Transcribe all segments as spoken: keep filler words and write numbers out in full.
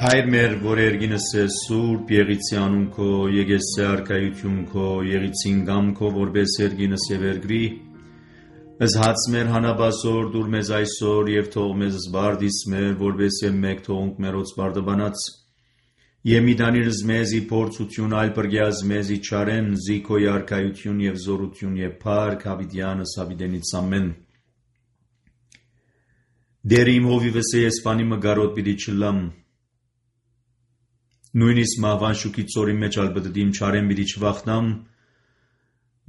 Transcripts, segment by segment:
Հայր մեր, որ երգինս է սուրբ, եղիցի անուն քո, եկեսցե արքայություն քո, եղիցին գամ քո, որպես երգինս եւ երգրի, ըզհաց մեր հանաբասոր, դուր մեզ այսօր եւ թող մեզ զբարդիս մեր, որպես եւ մեկ թողունք մերոց բարդաբանած, եւ մի դանիրս մեզի փորձություն, այլ բրգյազ մեզի չարեն, զիքոյ արքայություն եւ զորություն եւ փառք հավիդյանս հավիդենից ամեն։ Դերիմ հովիվս է եսպանի մգարոտ պիտի չլամ, նույնիսկ մահվան շուքի ծորի մեջ ալբդդիմ չարեն պիտի չվախնամ,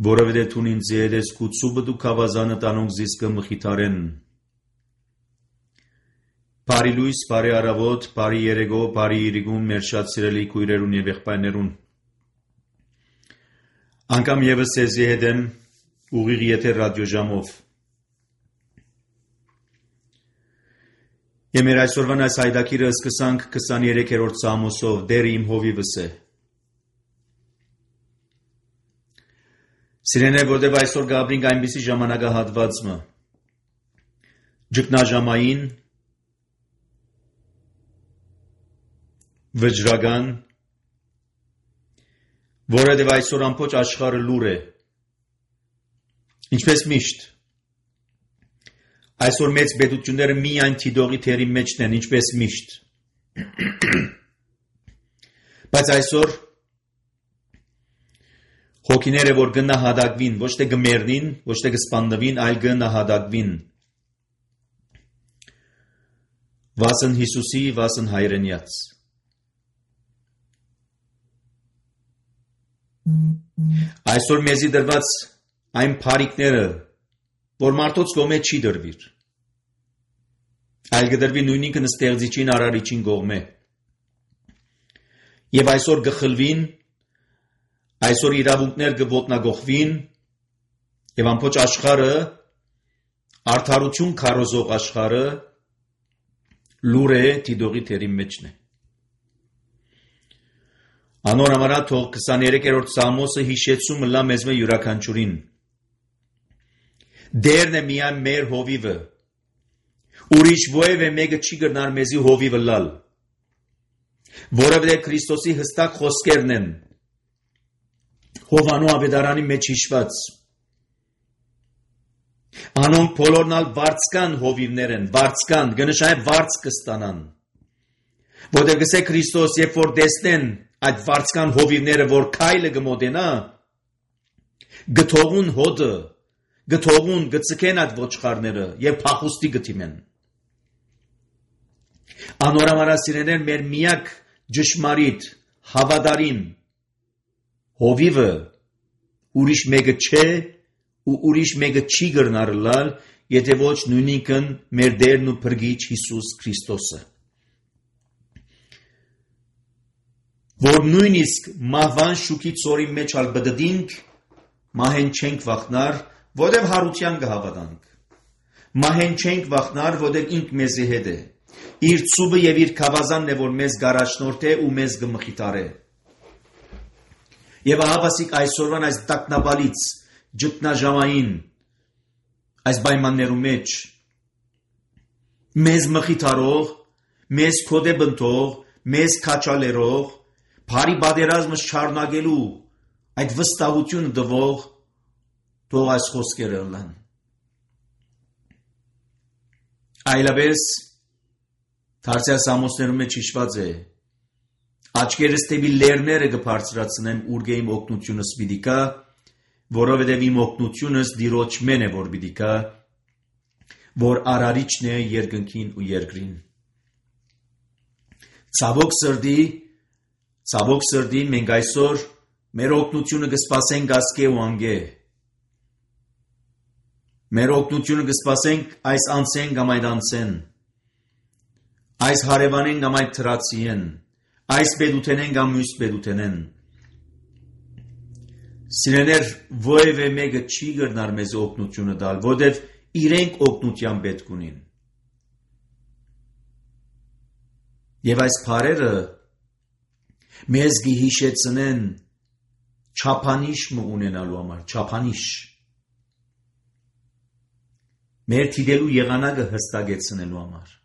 որովհետև թուն ինձ հետ ես կուցուբը դու քավազանը տանոնք զիսկը մխիթարեն։ Բարի լույս, բարի առավոտ, բարի երեգո, բարի իրիգուն մեր շատ սիրելի քույրերուն եւ եղբայրներուն։ Անգամ եւս ես հետ եմ ուղիղ եթեր ռադիոժամով։ Եվ մեր այսօրվան այս հայդակիրը սկսանք քսաներեքերորդ Սամոսով, դեր իմ հովիվս է։ Սիրեն է, որտև այսօր գաբրինք այնպիսի ժամանակահատվածը, ջկնաժամային, վճռական, որովհետև այսօր ամբողջ աշխարհը լուր է, ինչպես միշտ։ Այսօր մեծ պետությունները միայն թիդողի թերի մեջն են, ինչպես միշտ։ Բայց այսօր հոգիները, որ գնահատակվին, ոչ թե գմերնին, ոչ թե գսպանդվին, այլ գնահատակվին։ Վասն Հիսուսի, վասն հայրենյաց։ Այսօր մեզի դրված այն փարիկները, որ մարդոց կողմե չի դրվիր, այլ գդրվի նույնինքն ստեղծիչին արարիչին կողմե։ Եվ այսօր գխլվին, այսօր իրավունքներ գոտնագողվին, եւ ամբողջ աշխարհը, արդարություն քարոզող աշխարհը լուր է թիդողի թերի մեջն է։ Անոր համար թող քսաներեքերորդ Սամոսը հիշեցումը լա մեզ մե յուրաքանչյուրին։ Դերն է միայն մեր հովիվը, ուրիշ ովևէ մեկը չի գնար մեզի հովիվը լալ, որովհետև Քրիստոսի հստակ խոսքերն են, Հովանու ավետարանի մեջ հիշված, անոնք բոլորն ալ վարձկան հովիվներ են, վարձկան, գնշայ վարձ կստանան, որտեղ գսե Քրիստոս, երբ որ տեսնեն այդ վարձկան հովիվները, որ քայլը գմոտենա, գթողուն հոդը, գթողուն գծկեն այդ ոչխարները եւ փախուստի գտիմեն։ Անորամարասիրեներ մեր միակ ճշմարիտ հավատարիմ հովիվը ուրիշ մեկը չէ ու ուրիշ մեկը չի գրնարլալ, եթե ոչ նույնիկն մեր Տերն ու Փրկիչ Հիսուս Քրիստոսը։ Որ նույնիսկ մահվան շուքի ծորի մեջ ալբդդինք, մահեն չենք վախնար, որտև հարության կհավատանք, մահեն չենք վախնար, որտև ինք մեզի հետ է, իր ծուբը և իր քավազանն է, որ մեզ գարաշնորդ է ու մեզ գմխիտար է։ Եվ ահավասիկ այսօրվան այս տակնաբալից, ջտնաժամային, այս բայմաններու մեջ, մեզ մխիտարող, մեզ կոդե բնտող, մեզ կաչալերող, բարի բادرազմս չարնագելու, այդ վստահություն դվող, թող այս խոսքերը լան։ Այլապես Թարսյա Սամոսներում մեջ հիշված է, աչքերս թեպի լերները կբարձրացնեմ ուր իմ օգնությունս պիտի կա, որովհետև իմ օգնությունս Տիրոջմեն է որ պիտի կա, որ արարիչն է երկնքին ու երկրին։ Ցավոք սրտի, ցավոք սրտի մենք այսօր մեր օգնությունը կսպասենք ասկե ու անգե։ Մեր օգնությունը կսպասենք այս անցեն կամ այդ անցեն, այս հարևանեն կամ այդ թրացիեն, այս պետութենեն կամ մյուս պետութենեն։ Սիրեներ, ովևէ մեկը չի գրնար մեզ օգնությունը տալ, որտև իրենք օգնության պետք ունին։ Եվ այս բարերը մեզ կհիշեցնեն չափանիշ ունենալու համար, չափանիշ։ Մեր թիդելու եղանակը հստակեցնելու համար։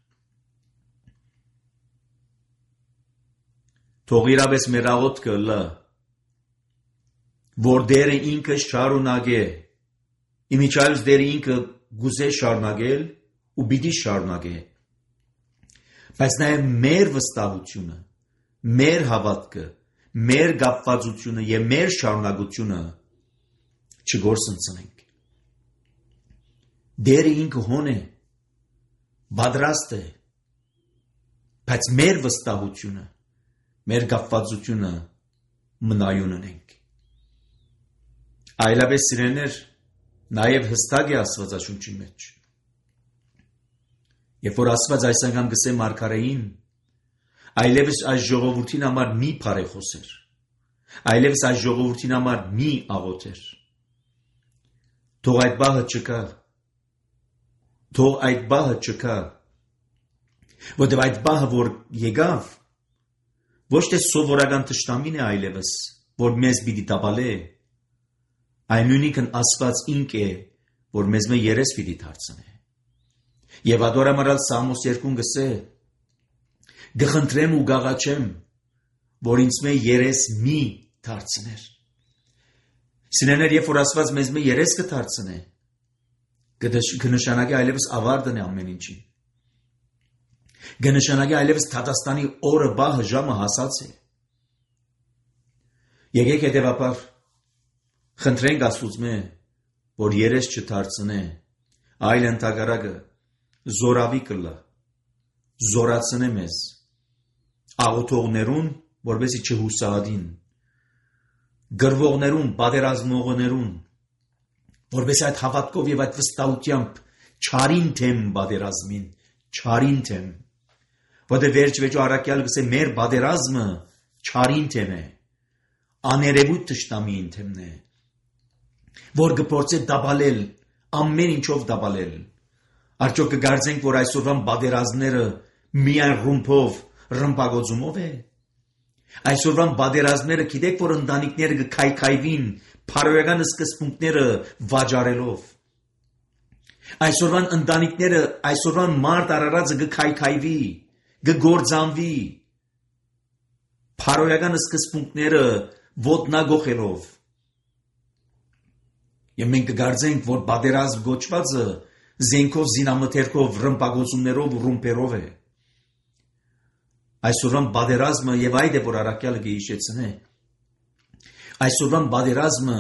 թող իրավես մեր աղոթքը լը, որ դերը ինքը շարունակե, իմիջայլուց դերը ինքը գուզե շարունակել ու պիտի շարունակե, բայց նաև մեր վստահությունը, մեր հավատքը, մեր կապվածությունը եւ մեր շարունակությունը չգործընծնենք։ Դերը ինքը հոն է, պատրաստ է, բայց մեր վստահությունը, մեր կապվածությունը մնայուն ունենք։ Այլապես սիրելիներ, նաև հստակ է Աստվածաշունչի մեջ։ Երբ որ Աստված այս անգամ գսե մարգարեին, այլևս այս ժողովրդին համար մի փարեխոսեր, այլևս այս ժողովրդին համար մի աղոթեր։ Թող այդ բահը չկա, թող այդ բահը չկա, որտեղ այդ բահը որ եկավ, ոչ թե սովորական թշնամին է այլևս, որ մեզ պիտի տապալե, այն նույնիկն Աստված ինք է, որ մեզ մե երես պիտի դարձնե։ Եվ ադորամարալ Սամոս երկուն գսե, գխնդրեմ ու գաղաչեմ, որ ինձ մե երես մի դարձներ։ Սիրելիներ, երբ որ Աստված մեզ մե երես կդարձնե, կնշանակի այլևս ավարտն է ամեն ինչին։ Կնշանակի այլևս Թատաստանի օրը բահը ժամը հասած է։ Եկեք հետևաբար խնդրենք Աստծուց, որ երես չդարձնե, այլ ընդհակառակը զորավի կլա, զորացնե մեզ, աղոթողներուն, որպեսզի չհուսահատին, գրվողներուն, պատերազմողներուն, որպես այդ հավատքով եւ այդ վստահությամբ չարին թեմ պատերազմին, չարին թեմ, որտեղ վերջ-վերջո առաքյալ գսե մեր պատերազմը չարին թեմ է, աներևույթ թշնամիին թեմն է, որ կփորձե դաբալել, ամեն ինչով դաբալել, արդյոք կգարձենք, որ այսօրվան պատերազմները միայն ռումբով, ռմբագոծումով է, այսօրվան պատերազմները գիտեք, որ ընտանիքները կքայքայվին, փարոյական սկզբունքները վաճառելով։ Այսօրվան ընտանիքները, այսօրվան մարդ արարածը կքայքայվի, կգործանվի, փարոյական սկզբունքները ոտնագողելով։ Եվ մենք կգարձենք, որ պատերազմ գոչվածը զենքով, զինամթերքով, ռմբագոծումներով ու ռումբերով է։ Այսօրվան պատերազմը եւ այդ է, որ առաքյալը կհիշեցնե։ Այսօրվան պատերազմը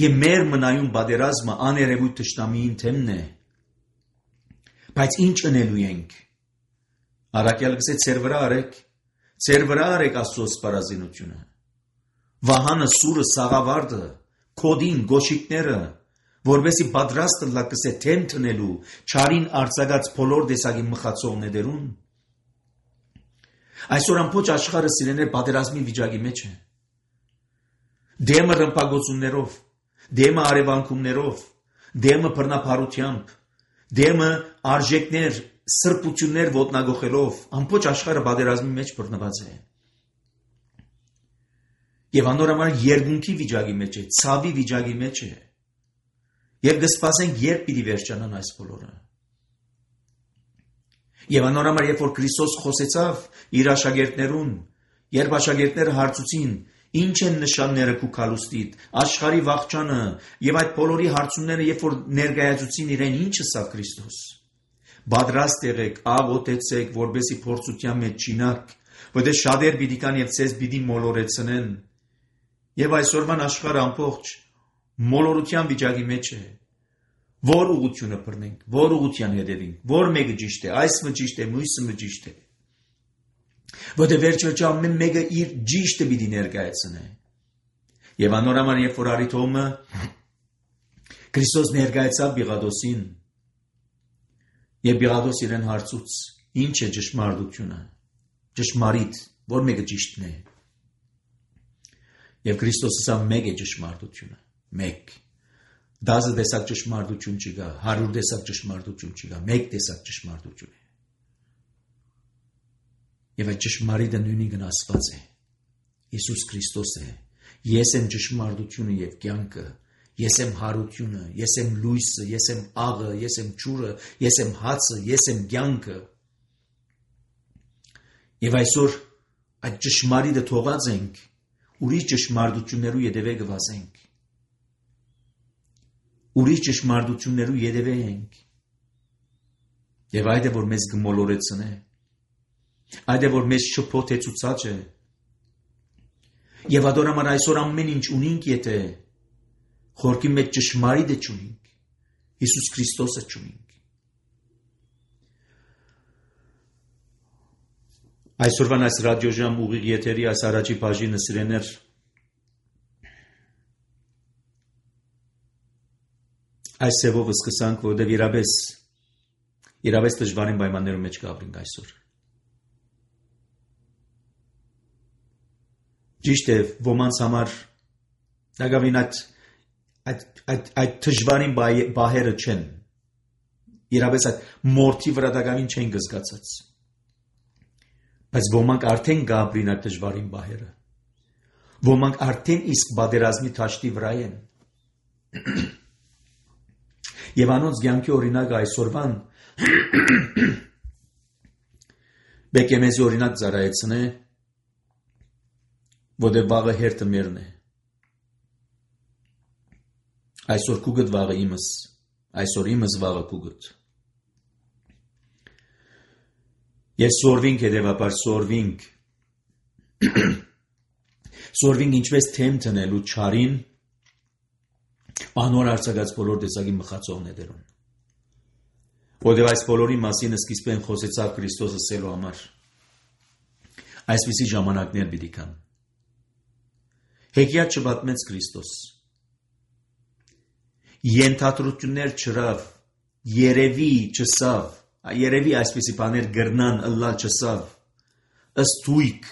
եւ մեր մնայուն պատերազմը աներևույթ թշնամիին թեմն է։ Բայց ինչ ընելու ենք։ Առաքյալը գսե ծեր վրա արեք, ծեր վրա արեք Աստծո սպառազինությունը։ Վահանը, սուրը, սաղավարտը, քոդին, գոշիկները, որովհետեւ պատրաստ լա կսե թեմ տնելու, չարին արձակած բոլոր տեսակի մխացողներուն։ Այսօր ամբողջ աշխարհը սիրելիներ պատերազմի վիճակի մեջ է։ Դեմը ռմբագոծումներով, դեմը արևանքումներով, դեմը բռնապարությամբ, դեմը արժեքներ, սրբություններ ոտնագողելով, ամբողջ աշխարհը պատերազմի մեջ բռնված է։ Եվ անորոշ երկունքի վիճակի մեջ է, ցավի վիճակի մեջ է։ Եվ կսպասենք, երբ պիտի վերջանան այս բոլորը։ Եվ անորոշ երբ որ Քրիստոս խոսեցավ իր աշակերտներուն, երբ աշակերտները հարցուցին, ինչ են նշանները քու քալուստիդ, աշխարհի վաղճանը եւ այդ բոլորի հարցումները, երբ որ ներկայացուցին իրեն, ինչը սա Քրիստոս։ Պատրաստ եղեք, աղոթեցեք, որբեսի փորձության մեջ չինակ, որտեղ շատեր պիտի կան եւ ցեզ պիտի մոլորեցնեն։ Եվ այսօրվան աշխարհը ամբողջ մոլորության վիճակի մեջ է։ Որ ուղղությունը բռնենք, որ ուղղության հետևենք, որ մեկը ճիշտ է, այսը ճիշտ է, մյուսը ճիշտ է։ Որտեղ վերջ-վերջո ամեն մեկը իր ճիշտը պիտի ներկայացնե։ Եվ անորոշ երբ որ Արիթոմը Քրիստոս ներկայացավ Պիղադոսին, եւ Պիղադոս իրեն հարցուց. ինչ է ճշմարտությունը, ճշմարիտ, որ մեկը ճիշտն է։ Եվ Քրիստոսը ասավ մեկ է ճշմարտությունը, մեկ։ Դասը տեսակ ճշմարտություն չկա, հարյուր տեսակ ճշմարտություն չկա, մեկ տեսակ ճշմարտություն է։ Եվ այդ ճշմարիտը նույնիկն Աստված է, Հիսուս Քրիստոս է։ Ես եմ ճշմարտությունը եւ կյանքը, ես եմ հարությունը, ես եմ լույսը, ես եմ աղը, ես եմ ջուրը, ես եմ հացը, ես եմ կյանքը։ Եվ այսօր այդ ճշմարիտը թողած ենք, ուրիշ ճշմարտություններու ետևե գվազենք, ուրիշ ճշմարտություններու ետևե ենք, եւ այդ է որ մեզ գմոլորեցնե, այդ է որ մեզ շփոթեցուցած է, եւ ադորամար այսօր ամեն ինչ ունինք, եթե խորքի մեջ ճշմարիտը չունինք, Հիսուս Քրիստոսը չունինք։ Այսօրվան այս ռադիոժամ ուղիղ եթերի այս առաջի բաժինը սիրեներ այս սևով սկսանք, որովհետև իրապես իրապես դժվարին պայմաններում մեջ կապրենք այսօր։ Ճիշտ է, ոմանց համար դակավին այդ այդ այդ դժվարին բահերը չեն։ Իրապես այդ մորթի վրա դակավին չեն գզգացած։ Բայց ոմանք արդեն գաբրին այդ դժվարին բահերը։ Ոմանք արդեն իսկ բادرազմի թաշտի վրա են։ Եվ անոնց կյանքի օրինակը այսօրվան բեկե մեզ օրինակ ծառայեցնե, որտեղ վաղը հերթը մերն է։ Այսօր կուգդ վաղը իմս, այսօր իմս վաղը կուգդ։ Ես սորվինք հետևաբար սորվինք, սորվինք ինչպես թեմ տնելու չարին, անոր արձակած բոլոր տեսակի մխացողներուն։ Որտեղ այս բոլորի մասին սկիզբեն խոսեցավ Քրիստոսը սելու համար։ Այսպիսի ժամանակներ պիտի կան։ Հեքիաթ չպատմեց Քրիստոս։ Ենթադրություններ չրավ, երևի չսավ, երևի այսպիսի բաներ գրնան ըլլալ չսավ, ըստույք,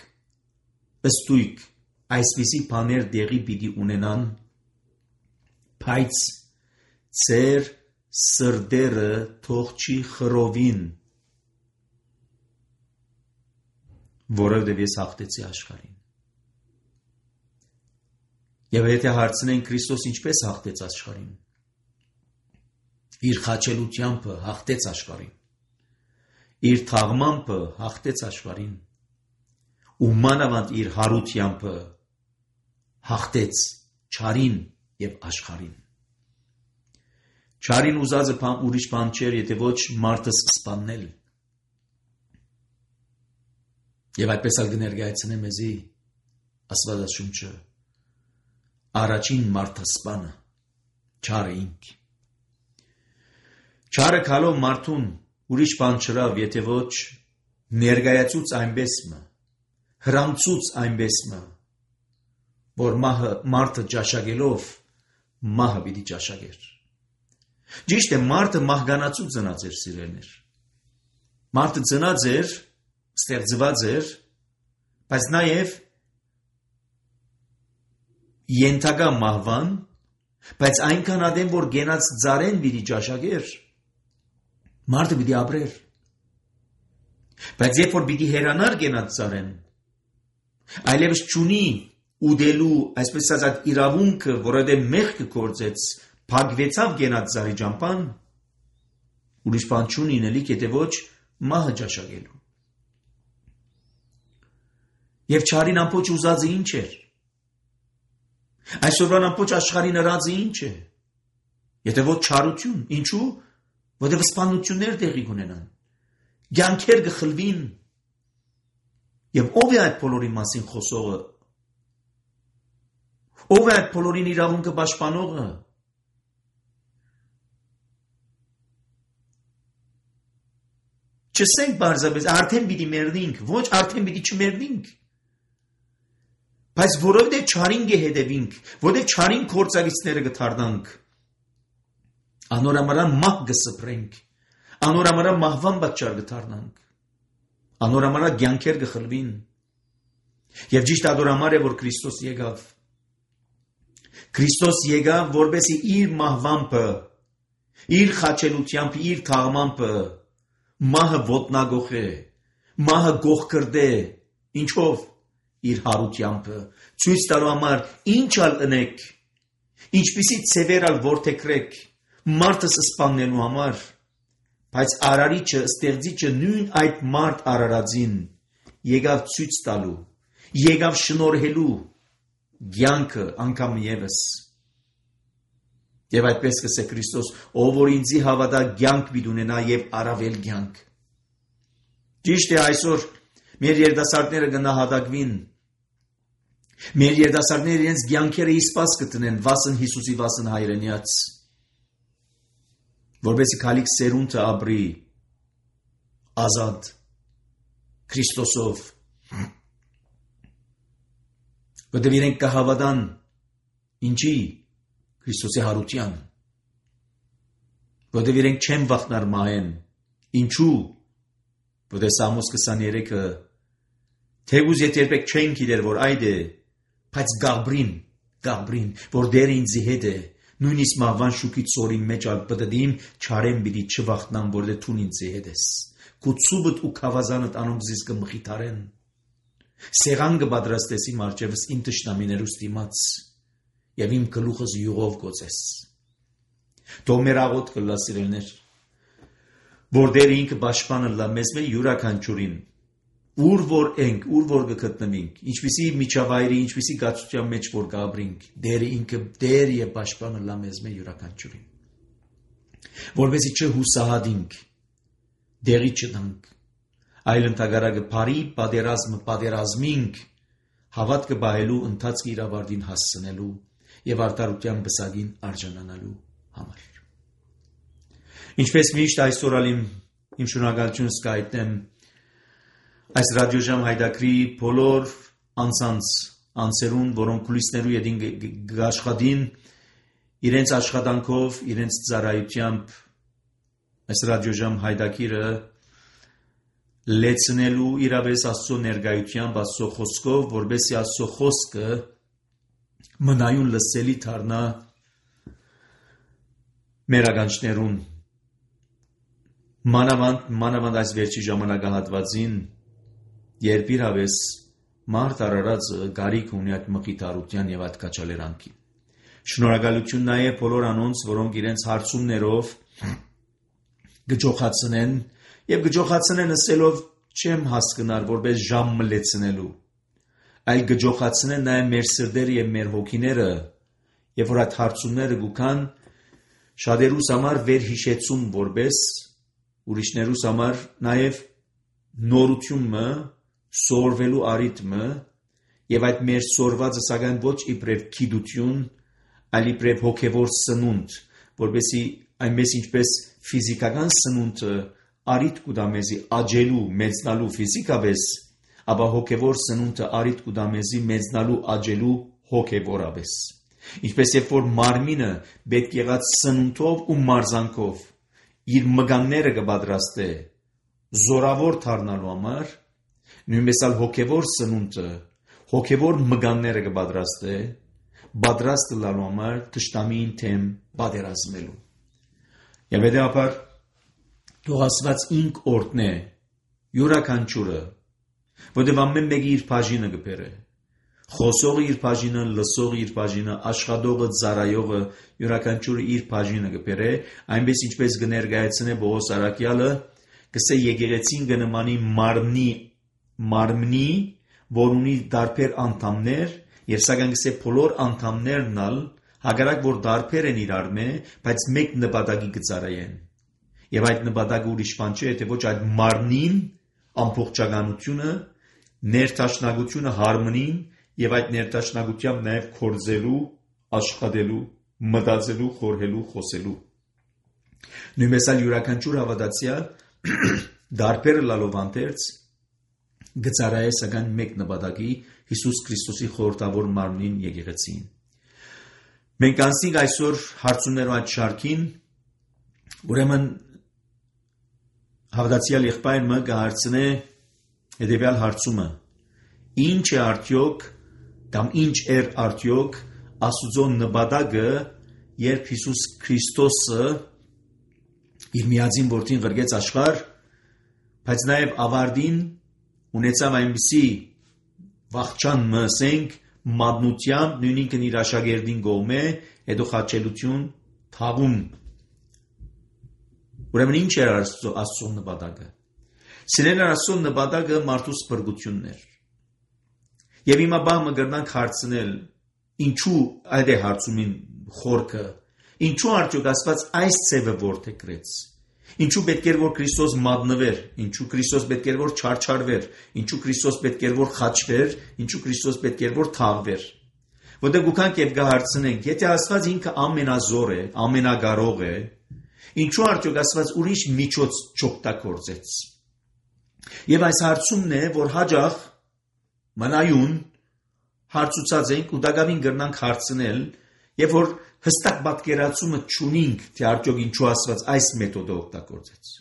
ըստույք, այսպիսի բաներ դեղի պիտի ունենան, բայց ծեր սրդերը թող չի խռովին, որովհետև ես հաղթեցի աշխարհին։ Եվ եթե հարցնեն Քրիստոս ինչպես հաղթեց աշխարհին, իր խաչելությամբ հաղթեց աշխարհին, իր թաղմամբ հաղթեց աշխարհին, ու մանավանդ իր հարությամբ հաղթեց չարին եւ աշխարհին։ Չարին ուզածը բան ուրիշ բան չէր, եթե ոչ մարդը սպանել։ Եվ այդպես ալ կներկայացնե մեզի Աստվածաշունչը առաջին մարդասպանը չարը ինք։ Չարը քալով մարդուն ուրիշ բան չրավ, եթե ոչ ներկայացուց այնպես մը, հրամցուց այնպես մը, որ մահը մարդը ճաշակելով մահը պիտի ճաշակեր։ Ճիշտ է, մարդը մահկանացու ծնած էր, սիրելիներ։ Մարդը ծնած էր, ստեղծված էր, բայց նաև ենթակա մահվան, բայց այնքան ադեմ, որ գենած ծարեն պիտի ճաշակեր, մարդը պիտի ապրեր։ Բայց երբ որ պիտի հերանար գենած ծարեն, այլևս չունի ուդելու, այսպես ասած, իրավունքը, որովհետև մեղքը գործեց, փակվեցավ գենած ծարի ճամփան, ուրիշ բան չունի ինելիք, եթե ոչ մահը ճաշակելու։ Եվ չարին ամբողջ ուզածը ինչ էր։ Այսօրվան ամբողջ աշխարհին հրածը ինչ է։ Եթե ոչ չարություն, ինչու՞, որովհետև սպանություններ տեղի կունենան, կյանքեր կխլվին։ Եվ ով է այդ բոլորի մասին խոսողը։ Ով է այդ բոլորին իրավունքը պաշտպանողը։ Չսենք բարձրապես, արդեն պիտի մեռնենք, ոչ արդեն պիտի չմեռնենք։ Բայց որովհետև չարին կհետևենք, որովհետև չարին գործակիցները կդառնանք, անորամարան մահ կսփռենք, անորամարան մահվան պատճառ կդառնանք, անորամարան կյանքեր կխլվին։ Եվ ճիշտ ադորամար է, որ Քրիստոս եկավ։ Քրիստոս եկավ, որպեսզի իր մահվամբը, իր խաչելությամբ, իր թաղմամբը մահը ոտնագողե, մահը գողկրդե, ինչով իր հարությամբ, ցույց տալու համար ինչ ալ ընեք, ինչպիսի ցևեր ալ որդեքրեք, մարդը սպանելու համար, բայց արարիչը, ստեղծիչը նույն այդ մարդ արարածին եկավ ցույց տալու, եկավ շնորհելու կյանքը անգամ ևս։ Եվ այդպես կսե Քրիստոս, ով որ ինձի հավատա կյանք պիտի ունենա եւ առավել կյանք։ Ճիշտ է, այսօր մեր երիտասարդները կնահատակվին։ Մեր երիտասարդները իրենց կյանքերը իսպաս կտնեն վասն Հիսուսի վասն հայրենիած, որովհետեւ քալիք սերունդը ապրի ազատ Քրիստոսով։ Որտեղ իրենք կհավատան ինչի Քրիստոսի հարության, որտեղ իրենք չեն վախնար մահեն, ինչու, որտեղ Սամոս քսաներեքը թեգուզ եթե երբեք չեն գիտեր, որ այդ է, բայց գաբրին, գաբրին, որ դեր ինձի հետ է, նույնիսկ մահվան շուկից սորի մեջ ալ պտդիմ չարեմ բիդի չվախտնամ, որտեղ թուն ինձի հետ ես, քու ցուբդ ու քավազանդ անոնք զիս կմխիթարեն, սեղան կպատրաստեսի մարջևս իմ տշնամիներուս դիմաց, եւ իմ գլուխս յուղով գոցես։ Թող մեր աղոտ կլա սիրելներ, որ դեր ինքը պաշտպանը լա մեզ մեր յուրաքանչյուրին, ուր որ ենք, ուր որ կգտնվենք, ինչպիսի միջավայրի, ինչպիսի գացության մեջ որ կապրենք, դերը ինքը դեր եւ պաշտպանը լա մեզ մեր յուրաքանչյուրին։ Որովհետեւ չհուսահատենք, դերի չդանք, այլ ընդհանրակը բարի պատերազմը պատերազմինք, հավատքը բահելու ընթացքի իրավարտին հասցնելու եւ արդարության բսագին արժանանալու համար։ Ինչպես միշտ այսօր ալիմ իմ շնորհակալությունս կայտնեմ այս ռադիոժամ հայդակրի բոլոր անձանց անձերուն, որոնք կուլիսներու յետին գաշխատին իրենց աշխատանքով, իրենց ծառայությամբ այս ռադիոժամ հայդակիրը լեցնելու իրավես Աստծո ներկայությամբ, Աստծո խոսքով, որբեսի Աստծո խոսքը մնայուն լսելի դառնա մեր ականջներուն։ Մանավանդ, մանավանդ այս վերջի ժամանակահատվածին, երբ իրավես մարդ արարածը գարիք ունի այդ մխիթարության եւ այդ կաչալերանքի։ Շնորհակալություն նաեւ բոլոր անոնց, որոնք իրենց հարցումներով գճոխացնեն եւ գճոխացնեն ասելով չեմ հասկնար որպես ժամ մլեցնելու, այլ գճոխացնեն նաեւ մեր սրտերը եւ մեր հոգիները, եւ որ այդ հարցումները գուքան շատերուս համար վերհիշեցում որպես ուրիշներուս համար նաեւ նորությունը սորվելու արիթմը եւ այդ մեր սորվածը սակայն ոչ իբրև քիդություն, այլ իբրև հոգեվոր սնունդ, որովհետեւ այնպես ինչպես ֆիզիկական սնունդը արիթ կուտա մեզի աճելու, մեծնալու ֆիզիկապես, ապա հոգեվոր սնունդը արիթ կուտա մեզի մեծնալու, աճելու հոգեվորապես։ Ինչպես երբ որ մարմինը պետք եղած սնունդով ու մարզանքով իր մգանները կպատրաստե զորավոր դառնալու համար, նույնպես ալ հոգեվոր սնունդը հոգեվոր մգանները կպատրաստե պատրաստ լալու համար թշնամին թեմ պատերազմելու։ Եվ հետեւաբար թող Աստված ինք օրհնե յուրաքանչյուրը, որտեղ ամեն մեկի իր բաժինը կբերե։ Խոսողը իր բաժինը, լսողը իր բաժինը, աշխատողը, ծառայողը յուրաքանչյուրը իր բաժինը կբերե, այնպես ինչպես կներկայացնե Պողոս առաքյալը, կսե եկեղեցին կնմանի մարմնի, մարմնի, որ ունի տարբեր անդամներ, եւ սակայն կսե բոլոր անդամներն ալ հակառակ որ տարբեր են իրար մե, բայց մեկ նպատակի կծառայեն։ Եվ այդ նպատակը ուրիշ բան չէ, թե ոչ այդ մարմնին ամբողջականությունը, ներդաշնակությունը հարմոնին եւ այդ ներդաշնակությամբ նաեւ կորձելու, աշխատելու, մտածելու, խորհելու, խոսելու։ Նույնպես ալ յուրաքանչյուր հավատացյալ դարբերը լալով անտերց գծարայե սակայն մեկ նպատակի Հիսուս Քրիստոսի խորհրդավոր մարմնին եկեղեցին։ Մենք անցնենք այսօր հարցումներով այդ շարքին, ուրեմն հավատացյալ եղբայրը կհարցնե հետևյալ հարցումը. ինչ է արդյոք կամ ինչ էր արդյոք Աստծո նպատակը, երբ Հիսուս Քրիստոսը իր միածին որդին ղրկեց աշխարհ, բայց նաև ավարտին ունեցավ այնպիսի վախճան մսենք մատնությամբ նույնիսկ իր աշակերտին գոմե հետո խաչելություն թաղում։ Ուրեմն ինչ էր Աստծո նպատակը։ Սիրելիներ, Աստծո նպատակը մարդու սփռգությունն էր։ Եվ հիմա բամը գրնանք հարցնել, ինչու այդ է հարցումին խորքը, ինչու արդյոք Աստված այս ցևը որդեգրեց, ինչու պետք էր որ Քրիստոս մատնվեր, ինչու Քրիստոս պետք էր որ չարչարվեր, ինչու Քրիստոս պետք էր որ խաչվեր, ինչու Քրիստոս պետք էր որ թաղվեր։ Որտեղ գուքանք եւ գահարցնենք, եթե Աստված ինքը ամենազոր է, ամենագարող է, ինչու արդյոք Աստված ուրիշ միջոց չօգտագործեց։ Եվ այս հարցումն է, որ հաջող մնայուն հարցուցած ենք ու դակավին գրնանք հարցնել, եւ որ հստակ պատկերացումը չունենք, թե արդյոք ինչու Աստված այս մեթոդը օգտագործեց։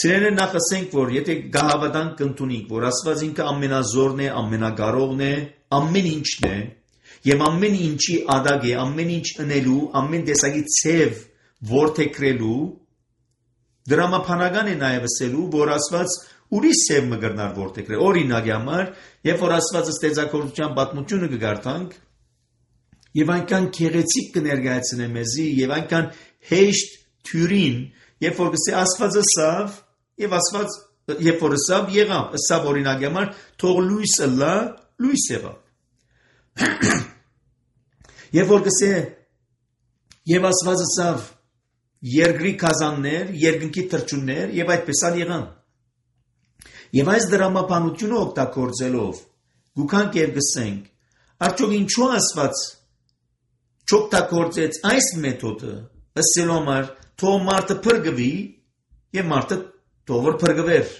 Սիրելիներ, նախ ասենք, որ եթե գահավատանք կընդունենք, որ Աստված ինքը ամենազորն է, ամենագարողն է, ամեն ինչն է, եւ ամեն ինչի ադագ է, ամեն ինչ ընելու, ամեն տեսակի ցև որդեգրելու, դրամապանական է նաեւ ասելու, որ Աստված ուրիշ ցև մը գրնար որդեգրել։ Օրինակի համար, երբ որ Աստված ստեղծագործության պատմությունը կգարտանք, եւ այնքան քեղեցիկ կներկայացնե մեզի, եւ այնքան հեշտ թյուրին, երբ որ կսե Աստվածը սավ, եւ Աստված երբ որ սավ եղավ, սավ օրինակի համար թող լույսը լա, լույս եղավ։ Երբ որ կսե եւ Աստվածը սավ երկրի կազաններ, երկնքի թրջուններ եւ այդպես ալ եղան։ Եվ այս դրամապանությունը օգտագործելով գուքանք եւ գսենք, արդյոք ինչու Աստված չօգտագործեց այս մեթոդը, ասելու համար թող մարդը փրկվի եւ մարդը թող որ փրկվեր։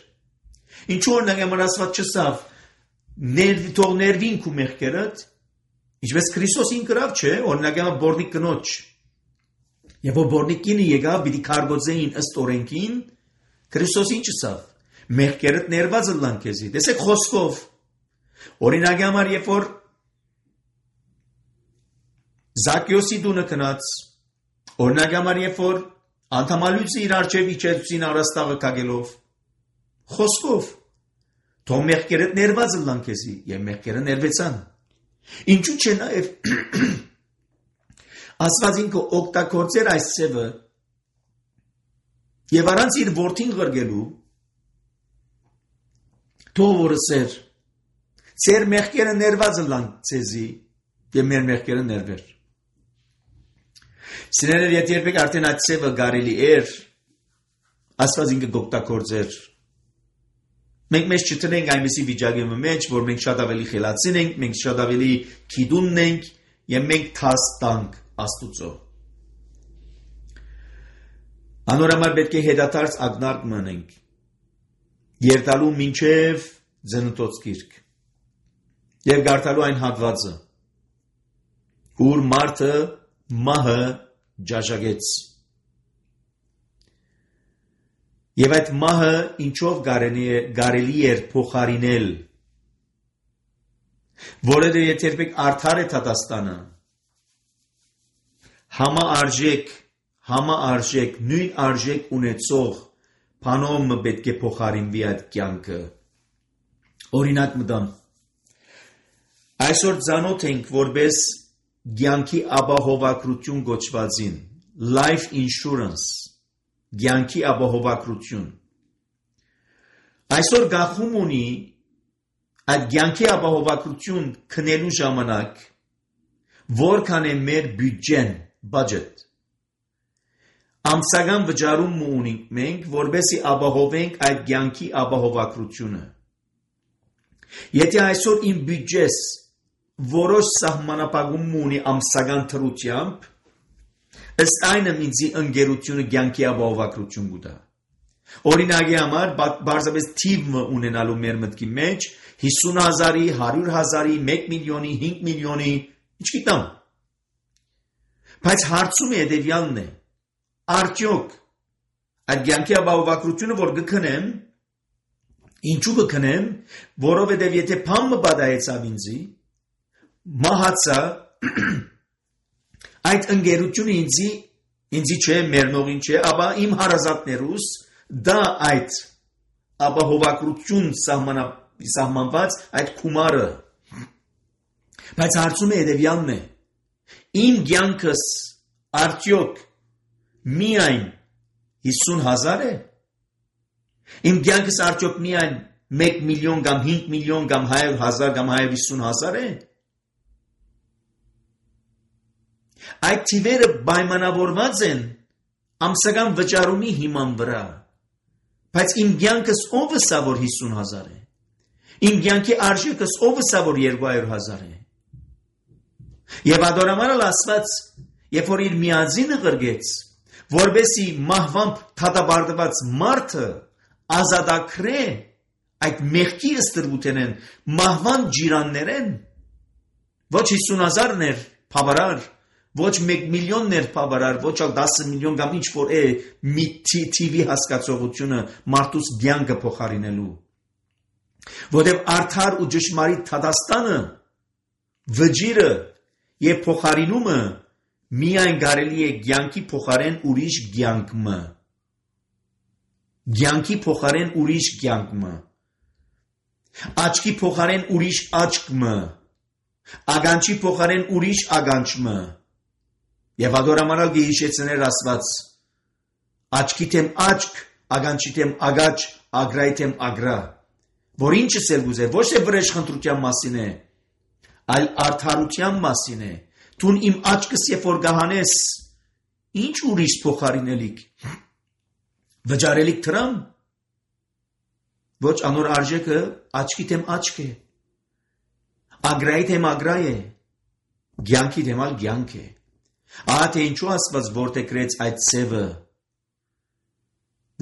Ինչու օրինակ համար Աստված չսավ ներվի թող ներվին քու մեղքերդ, ինչպես Քրիստոսին գրավ չէ, օրինակ համար բորնիկ կնոջ։ Եվ որ բորնիկինը եկավ պիտի քարգոծեին ըստ օրենքին, Քրիստոսին չսավ։ Մեղքերդ ներված լան քեզի։ Տեսեք խոսքով։ Օրինակ համար երբ որ Զաքեոսի դունը կնաց, օրինակ համար երբ որ անդամալույցը իր արջև իջեցին առաստաղը կագելով, խոսքով, թող մեղքերդ ներված լան քեզի, եւ մեղքերը ներվեցան։ Ինչու՞ չէ նաեւ Աստված ինքը օգտագործեր այս ցևը եւ առանց իր որդին ղրգելու, թող որսեր, ծեր մեղքերը ներված լան ցեզի, եւ մեր մեղքերը ներվեր։ Սիրելիներ, եթե երբեք արդեն այդ ցևը գարելի էր, Աստված ինքը կօգտագործեր։ Մենք մեզ չտնենք այնպիսի վիճակի մեջ, որ մենք շատ ավելի խելացին ենք, մենք շատ ավելի գիտուն ենք եւ մենք թաս տանք Աստուծո։ Անորոշ պետք է հետադարձ ակնարկ մնենք, երթալու մինչև Ձնոտոց գիրք եւ գարտալու այն հատվածը, ուր մարդը մահը ջաժագեց։ Եվ այդ մահը ինչով կարելի էր փոխարինել, որը եթե երբեք արդար է Թատաստանը, համաարժեք, համաարժեք, նույն արժեք ունեցող բանոմը պետք է փոխարինվի այդ կյանքը։ Օրինակ մտամ։ Այսօր ծանոթ ենք որպես կյանքի ապահովագրություն գոչվածին, life insurance, կյանքի ապահովագրություն։ Այսօր գախում ունի այդ կյանքի ապահովագրություն քնելու ժամանակ, որքան է մեր բյուջեն, budget։ Ամսական վճարում ունենք մենք, որբեսի ապահովենք այդ կյանքի ապահովագրությունը։ Եթե այսօր իմ բյուջես որոշ սահմանապահում ունի ամսական թրությամբ, ըստ այնմ ինձի ընկերությունը կյանքի ապահովագրություն կուտա։ Օրինակի համար բարձրապես թիվը ունենալու մեր մտքի մեջ հիսուն հազարի, հարյուր հազարի, մեկ միլիոնի, հինգ միլիոնի, չգիտեմ։ Բայց հարցումը հետևյալն է. արդյոք այդ կյանքի ապահովագրությունը որ կքնեմ, ինչու կքնեմ, որովհետև եթե փամը բադայեցավ ինձի, մահացա, այդ ընկերությունը ինձի, ինձի չէ, մերնողին չէ, ապա իմ հարազատներուս դա այդ ապահովագրություն սահմանված այդ կումարը։ Բայց հարցումը հետևյալն է. իմ կյանքս արդյոք միայն հիսուն հազար է։ Իմ կյանքս արդյոք միայն մեկ միլիոն կամ հինգ միլիոն կամ հարյուր հազար կամ հարյուր հիսուն հազար է։ Այդ թիվերը պայմանավորված են ամսական վճարումի հիման վրա։ Բայց իմ կյանքս ով է որ հիսուն հազար է։ Իմ կյանքի արժեքս ով է որ երկու հարյուր հազար է։ Եվ ադորամանալ Աստված, երբ որ իր միածինը ղրգեց, որբեսի մահվամբ թադաբարդված մարդը ազատագրե այդ մեղքի ստրուտենեն մահվան ջիրաններեն, ոչ հիսուն հազարներ բավարար, ոչ մեկ միլիոններ բավարար, ոչ ալ դասը միլիոն կամ ինչ որ է մի թիվի հասկացողությունը մարդուս կյանքը փոխարինելու։ Որտև արդար ու ճշմարիտ թադաստանը, վճիրը եւ փոխարինումը միայն կարելի է կյանքի փոխարեն ուրիշ կյանքը։ Կյանքի փոխարեն ուրիշ կյանքը։ Աչքի փոխարեն ուրիշ աչքը։ Ագանչի փոխարեն ուրիշ ագանչը։ Եվ ադորամանալ գեհիշեցներ Աստված, աչքի թեմ աչք, ագանչի թեմ ագաչ, ագրայի թեմ ագրա, որ ինչս էլ գուզե, ոչ թե վրեժխնդրության մասին է, այլ արդարության մասին է, թուն իմ աչքս երբ որ գահանես, ինչ ուրիշ փոխարինելիք, վճարելիք թրամ, ոչ անոր արժեքը աչքի թեմ աչք է, ագրայի թեմ ագրա է, կյանքի թեմ ալ կյանք է։ Ահա թե ինչու Աստված որդեգրեց այդ սևը,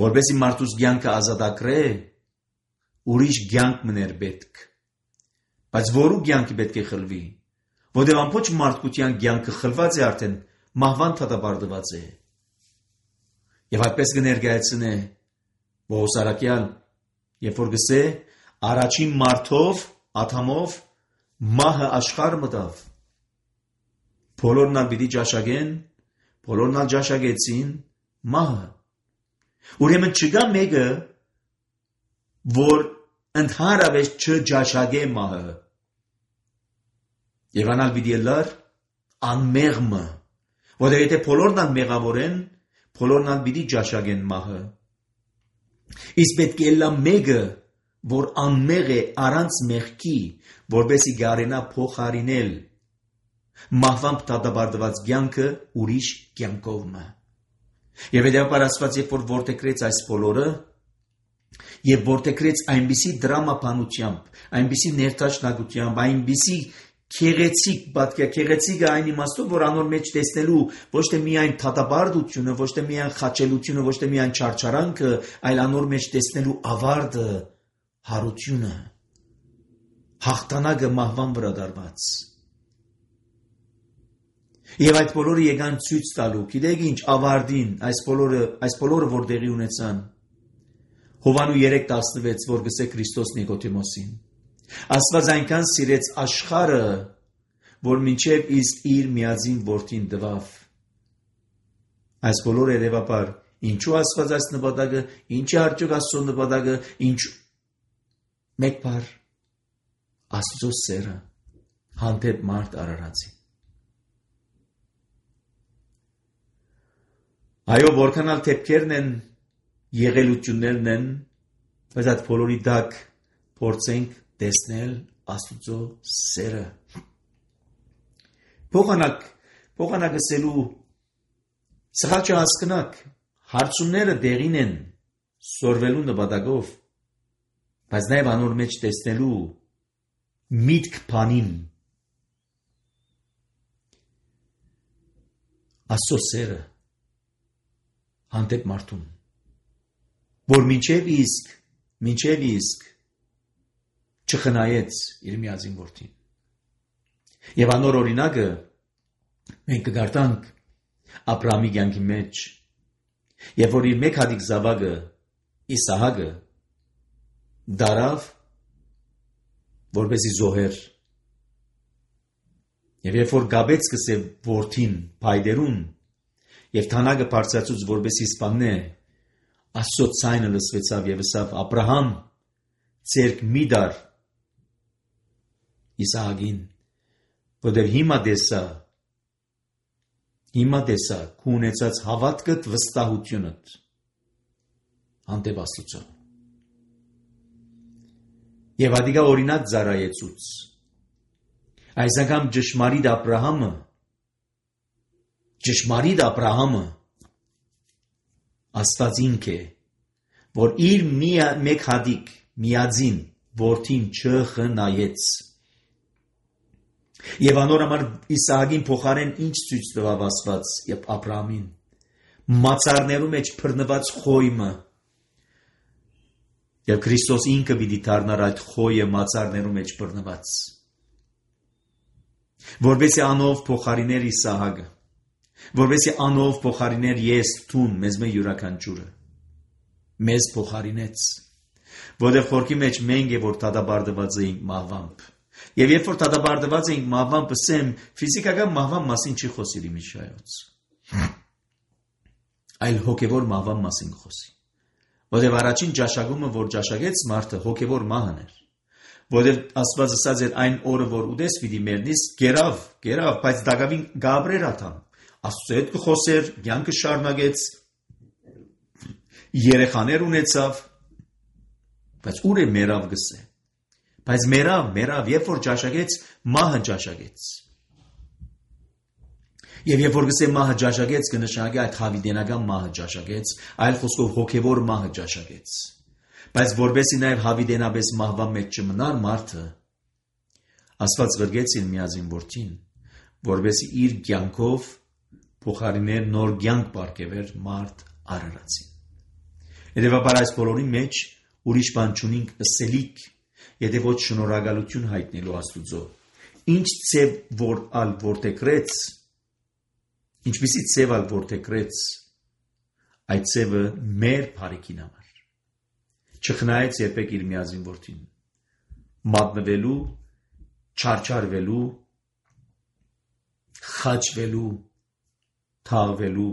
որպեսզի մարդուս կյանքը ազատագրե, ուրիշ կյանք մներ պետք։ Բայց որու կյանքը պետք է խլվի, որտեղ ամբողջ մարդկության կյանքը խլված է արդեն, մահվան թադաբարդված է։ Եվ այդպես կներկայացնե Պողոս առաքյալ, երբ որ գսե առաջին մարդով, Ադամով մահը աշխարհ մտավ։ Բոլորն ալ պիտի ճաշակեն, բոլորն ալ ճաշակեցին մահը։ Ուրեմն չկա մեկը, որ ընդհանրապես չճաշակե մահը։ Եվ անալ պիտի ելար անմեղմը, որտեղ եթե բոլորն ալ մեղավոր են, բոլորն ալ պիտի ճաշակեն մահը։ Իսկ պետք է լա մեկը, որ անմեղ է առանց մեղքի, որպեսզի գարենա փոխարինել մահվամբ դադարված կյանքը ուրիշ կյանքով։ Եվ հետևաբար Աստված երբ որ որդեգրեց այս բոլորը, եւ որդեգրեց այնպիսի դրամապանությամբ, այնպիսի ներդաշնակությամբ, այնպիսի քեղեցիկ պատկեր, քեղեցիկը այն իմաստով, որ անոր մեջ տեսնելու ոչ թե միայն թադաբարդությունը, ոչ թե միայն խաչելությունը, ոչ թե միայն չարչարանքը, այլ անոր մեջ տեսնելու ավարտը, հարությունը, հաղթանակը մահվան վրա դարված։ Եվ այդ բոլորը եկան ցույց տալու, գիտեք ինչ, ավարտին, այս բոլորը, այս բոլորը որ տեղի ունեցան։ Հովանու երեք տասնվեց, որ գսե Քրիստոս Նիկոդեմոսին։ Աստված այնքան սիրեց աշխարհը, որ մինչև իսկ իր միածին որդին տվավ։ Այս բոլորը երևաբար, ինչու Աստված այս նպատակը, ինչ է արդյոք Աստծո նպատակը, ինչ մեկ բառ Աստծո սերը հանդեպ մարդ արարածի։ Այո, որքան ալ թեփքերն են, եղելություններն են, բայց այդ բոլորի տակ փորձենք տեսնել Աստծո սերը։ Փոխանակ, փոխանակ ասելու սխալ չհասկնաք, հարցումները դեղին են սորվելու նպատակով, բայց նաև անոր մեջ տեսնելու միտք բանին Աստծո սերը հանդեպ մարդուն, որ մինչև իսկ, մինչև իսկ չխնայեց իր միածին որդին։ Եվ անոր օրինակը մենք կգարտանք Աբրահամի կյանքի մեջ, երբ որ իր մեկ հատիկ զավակը Իսահակը դարավ, որպեսզի զոհեր։ Եվ երբ որ գաբեց սկսե որդին փայդերուն, եւ թանագը բարձրացուց որպեսզի սպաննե, Աստծո ցայնը լսվեցավ եւ ասավ. Աբրահամ, ցերկ մի դար Իսահակին, որտեղ հիմա դեսա, հիմա դեսա քու ունեցած հավատքդ, վստահությունդ հանդեպ Աստծո։ Եվ ադիգա օրինակ ծառայեցուց։ Այս անգամ ճշմարիտ Աբրահամը, ճշմարիտ Աբրահամը Աստված ինքը, որ իր մեկ հատիկ միածին որդին չխնայեց։ Եվ անոր համար Իսահակին փոխարեն ինչ ցույց տվավ Աստված եւ Աբրահամին, մացառներու մեջ բռնված խոյմը։ Եվ Քրիստոս ինքը պիտի դառնար այդ խոյը մացառներու մեջ բռնված, որովհետեւ անով փոխարիներ Իսահակը, որովհետեւ անով փոխարիներ ես տուն մեզ մե յուրաքանչյուրը, մեզ փոխարինեց, որովհետեւ խորքի մեջ մենք է որ դադարդված էինք մահվամբ, եւ երբ որ դադարդված էինք մահվամբ, ասեմ ֆիզիկական մահվան մասին չի խոսի Միշայոց, այլ հոգեվոր մահվան մասին խոսի, որովհետեւ առաջին ճաշակումը որ ճաշակեց մարդը հոգեվոր մահն էր, որովհետեւ Աստված ասաց էր այն օրը որ ուդես պիտի մեռնես, գերավ, գերավ, բայց դակավին գաբրեր աթամ, Աստծո հետ կխոսեր, կյանքը շարունակեց, երեխաներ ունեցավ, բայց ուր է մեռավ գսե, բայց մեռավ, մեռավ, երբ որ ճաշակեց, մահը ճաշակեց, եւ երբ որ գսե մահը ճաշակեց, կնշանակի այդ հավիտենական մահը ճաշակեց, այլ խոսքով հոգեվոր մահը ճաշակեց, բայց որբեսի նաեւ հավիտենապես մահվան մեջ չմնար մարդը, Աստված գրգեց իր միածին որդին, որբեսի իր կյանքով փոխարիներ նոր կյանք բարգեւեր մարդ արարածին։ Հետևաբար այս բոլորի մեջ ուրիշ բան չունենք ըսելիք, եթե ոչ շնորհակալություն հայտնելու Աստուծո։ Ինչ ծև որ ալ որտեգրեց, ինչպիսի ծև ալ որտեգրեց, այդ ծևը մեր բարիքին համար։ Չխնայեց երբեք իր միածին որդին, մատնվելու, չարչարվելու, խաչվելու, թաղվելու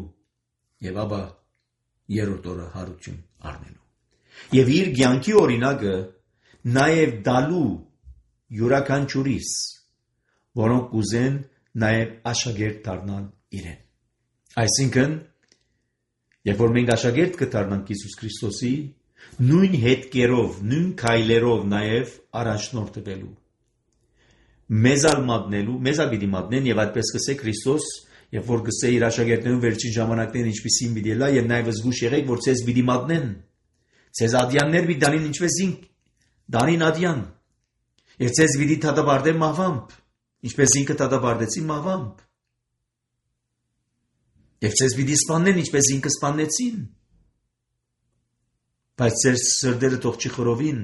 եւ ապա երրորդ օրը հարություն առնելու։ Եվ իր կյանքի օրինակը նաեւ դալու յուրաքանչյուրիս, որոնք կուզեն նաեւ աշակերտ դառնալ իրեն։ Այսինքն, երբ որ մենք աշակերտ կդառնանք Հիսուս Քրիստոսի, նույն հետքերով, նույն քայլերով նաեւ առաջնորդվելու, մեզալ մատնելու, մեզալ պիտի մատնեն եւ այդպես կսե Քրիստոս, երբ որ գսե իր աշակերտներուն վերջին ժամանակներն ինչպիսին պիտի լա եւ նաեւ զգուշ եղեք որ ցեզ պիտի մատնեն, ցեզ ադյաններ պիտի դանին ինչպես ինք դանին ադյան, եւ ցեզ պիտի դատապարտեն մահվամբ, ինչպես ինքը դատապարտեցի մահվամբ, եւ ցեզ պիտի սպանեն ինչպես ինքը սպանեցին, բայց ցեր սրտերը թող չի խորովին,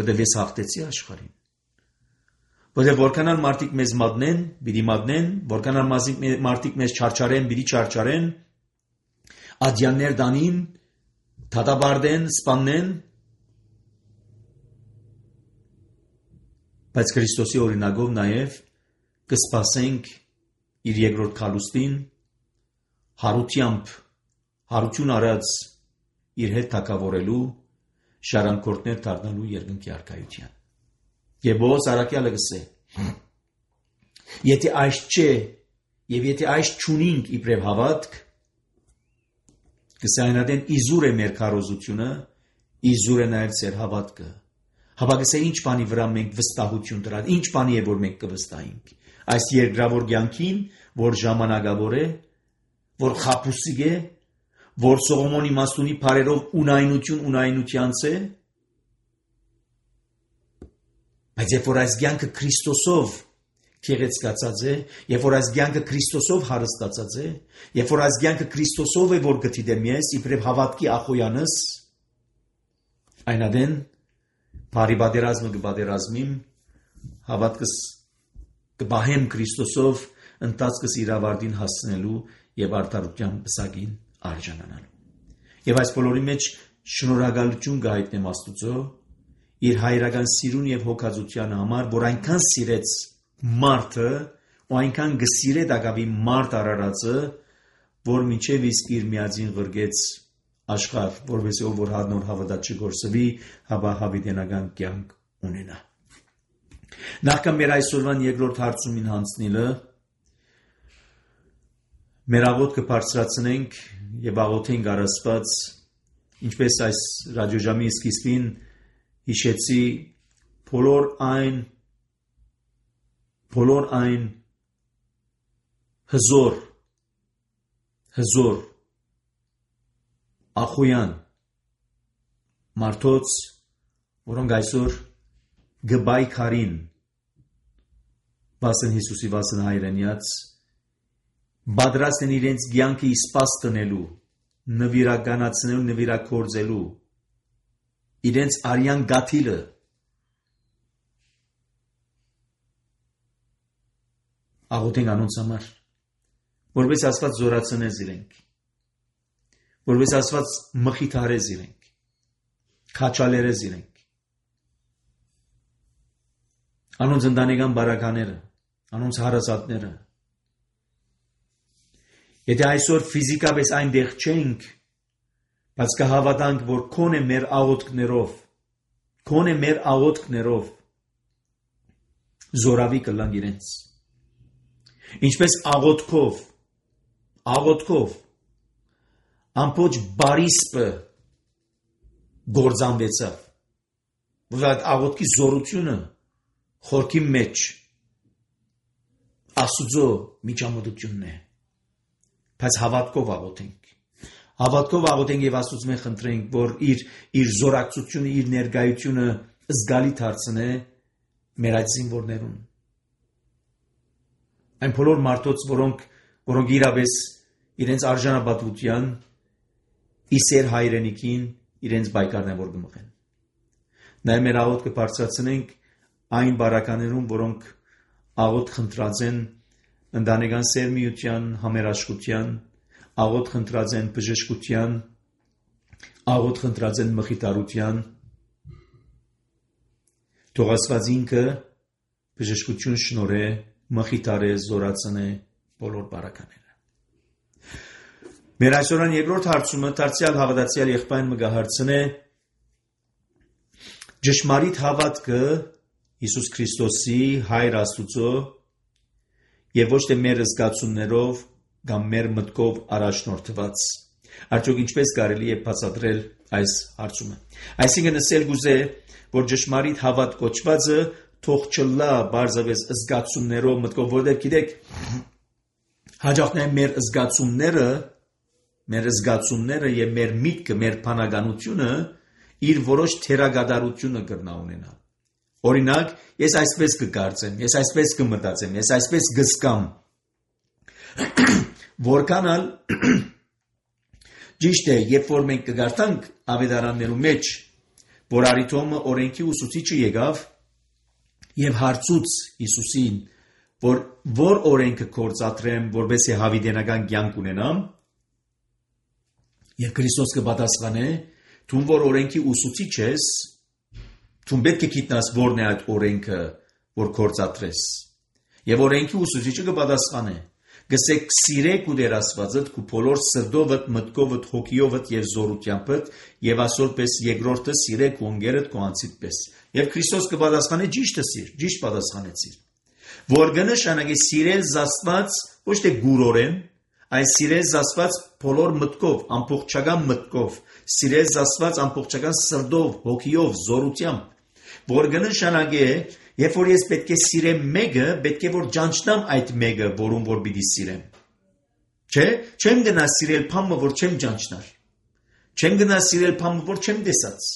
որովհետեւ ես հաղթեցի աշխարհին։ Որովհետև որքանալ մարդիկ մեզ մատնեն, պիտի մատնեն, որքանալ մարդիկ մեզ չարչարեն, պիտի չարչարեն, ադյաններ դանին, դատապարտեն, սպանեն, բայց Քրիստոսի օրինակով նաև կսպասենք իր երկրորդ քալուստին, հարությամբ, հարություն արած իր հետ թագավորելու, շարանկորդներ դառնալու երկնքի արքայության։ Եվ Բոոս Արաքյալը գսե, եթե այս չէ, եւ եթե այս չունինք իբրև հավատք, գսե այնադեն իզուր է մեր քարոզությունը, իզուր է նաև ձեր հավատքը։ Հապա գսե ինչ բանի վրա մենք վստահություն դրած, ինչ բանի է որ մենք կվստահենք։ Այս երկրավոր կյանքին, որ ժամանակավոր է, որ խապուսիկ է, որ Սողոմոնի մաստունի բարերով ունայնություն ունայնությանց է, բայց երբ որ այս կյանքը Քրիստոսով քեղեցկացած է, երբ որ այս կյանքը Քրիստոսով հարստացած է, երբ որ այս կյանքը Քրիստոսով է որ գտիդեմ ես, իբրև հավատքի ախոյանս, այնադեն բարի բادرազմը կբادرազմիմ, հավատքս կբահեմ Քրիստոսով ընթացքս իր ավարտին հասնելու եւ արդարության բսակին արժանանալու։ Եվ այս բոլորի մեջ շնորհակալություն կհայտնեմ Աստուծո իր հայրական սիրուն եւ հոգացության համար, որ այնքան սիրեց մարդը, ու այնքան գսիրե դակավի մարդ արարածը, որ մինչև իսկ իր միածին ղրգեց աշխարհ, որովհետեւ ով որ հադնոր հավատաց չգործվի, հաբա հավիտենական կյանք ունենա։ Նախքան մեր այսօրվան երկրորդ հարցումին հանցնելը, մեր աղոթքը բարձրացնենք եւ աղոթենք առասպած, ինչպես այս ռադիոժամի սկիզբին հիշեցի բոլոր այն բոլոր այն հզոր հզոր ախոյան մարդոց, որոնք այսօր գբայքարին վասն Հիսուսի վասն հայրենյաց բادرաստ են իրենց կյանքը իսպաս տնելու, նվիրականացնելու, նվիրակորձելու իրենց արյան գաթիլը աղոթենք անոնց համար, որպես Աստված զորացնես իրենք, որպես Աստված մխիթարես իրենք, քաչալերես իրենք, անոնց ընտանեկան բարակաները, անոնց հարազատները, եթե այսօր ֆիզիկապես այնտեղ չենք, բայց կհավատանք, որ քոնե մեր աղոթքներով, քոնե մեր աղոթքներով զորավի կլանք իրենց, ինչպես աղոթքով, աղոթքով ամբողջ բարիսպը գործանվեցավ, որ այդ աղոթքի զորությունը խորքի մեջ Աստծո միջամտությունն է, բայց հավատքով աղոթենք, հավատքով աղոթենք եւ Աստծո մենք խնդրենք, որ իր իր զորակցությունը, իր ներկայությունը զգալի դարձնե մեր այդ զինվորներուն, այն բոլոր մարդոց, որոնք որոնք իրապես իրենց արժանապատվության իսեր հայրենիքին իրենց բայկարն են որ գմղեն։ Նաև մեր աղոթքը բարձրացնենք այն բարականերուն, որոնք աղոթ խնդրած են ընտանեկան սերմիության, համերաշխության, աղոթ խնդրած են բժշկության, աղոթ խնդրած են մխիթարության, թող Աստված ինքը բժշկություն շնորհե, մխիթարե, զորացնե բոլոր բարակաները։ Մեր այսօրան երկրորդ հարցումը դարձյալ հավատացյալ եղբայրն մգահարցն է ճշմարիտ հավատքը Հիսուս Քրիստոսի Հայր Աստուծո եւ ոչ թե մեր զգացումներով կամ մեր մտքով առաջնորդված։ Արդյոք ինչպես կարելի է բացատրել այս հարցումը։ Այսինքն ասել գուզե, որ ճշմարիտ հավատ կոչվածը թող չլա բարձավես զգացումներով մտքով, որտեղ գիտեք հաջողներ մեր զգացումները, մեր զգացումները եւ մեր միտքը, մեր բանականությունը իր որոշ թերագադարությունը կրնա ունենա։ Օրինակ, ես այսպես կկարծեմ, ես այսպես կմտածեմ, ես այսպես կզգամ։ Որքանալ ճիշտ է, երբ որ մենք կգարտանք ավետարաններու մեջ, որ Արիթոմը օրենքի ուսուցիչը եկավ եւ հարցուց Հիսուսին, որ որ օրենքը կործատրեմ, որովհետեւ հավիտենական կյանք ունենամ, եւ Քրիստոս կպատասխանե, դու որ օրենքի ուսուցիչ ես, դու պետք է գիտնաս որն է այդ օրենքը, որ կործատրես։ Եվ օրենքի ուսուցիչը կպատասխանե, գսեք սիրեք ու դեր Աստվածդ քու բոլոր սրտովդ, մտքովդ, հոգիովդ եւ զորությանդ եւ ասորպես երկրորդը սիրեք ու ընկերդ քո անձիդ պես։ Եվ Քրիստոս կպատասխանե ճիշտը սիր, ճիշտ պատասխանեցիր։ Որ կնշանակի սիրել Աստված ոչ թե գուրորեն, այլ սիրել Աստված բոլոր մտքով, ամբողջական մտքով, սիրել Աստված ամբողջական սրտով, հոգիով, զորությամբ, որ կնշանակի, երբ որ ես պետք է սիրեմ մեկը, պետք է որ ճանչնամ այդ մեկը, որում որ պիտի սիրեմ։ Չէ, չեմ գնա սիրել փամը, որ չեմ ճանչնար։ Չեմ գնա սիրել փամը, որ չեմ տեսած։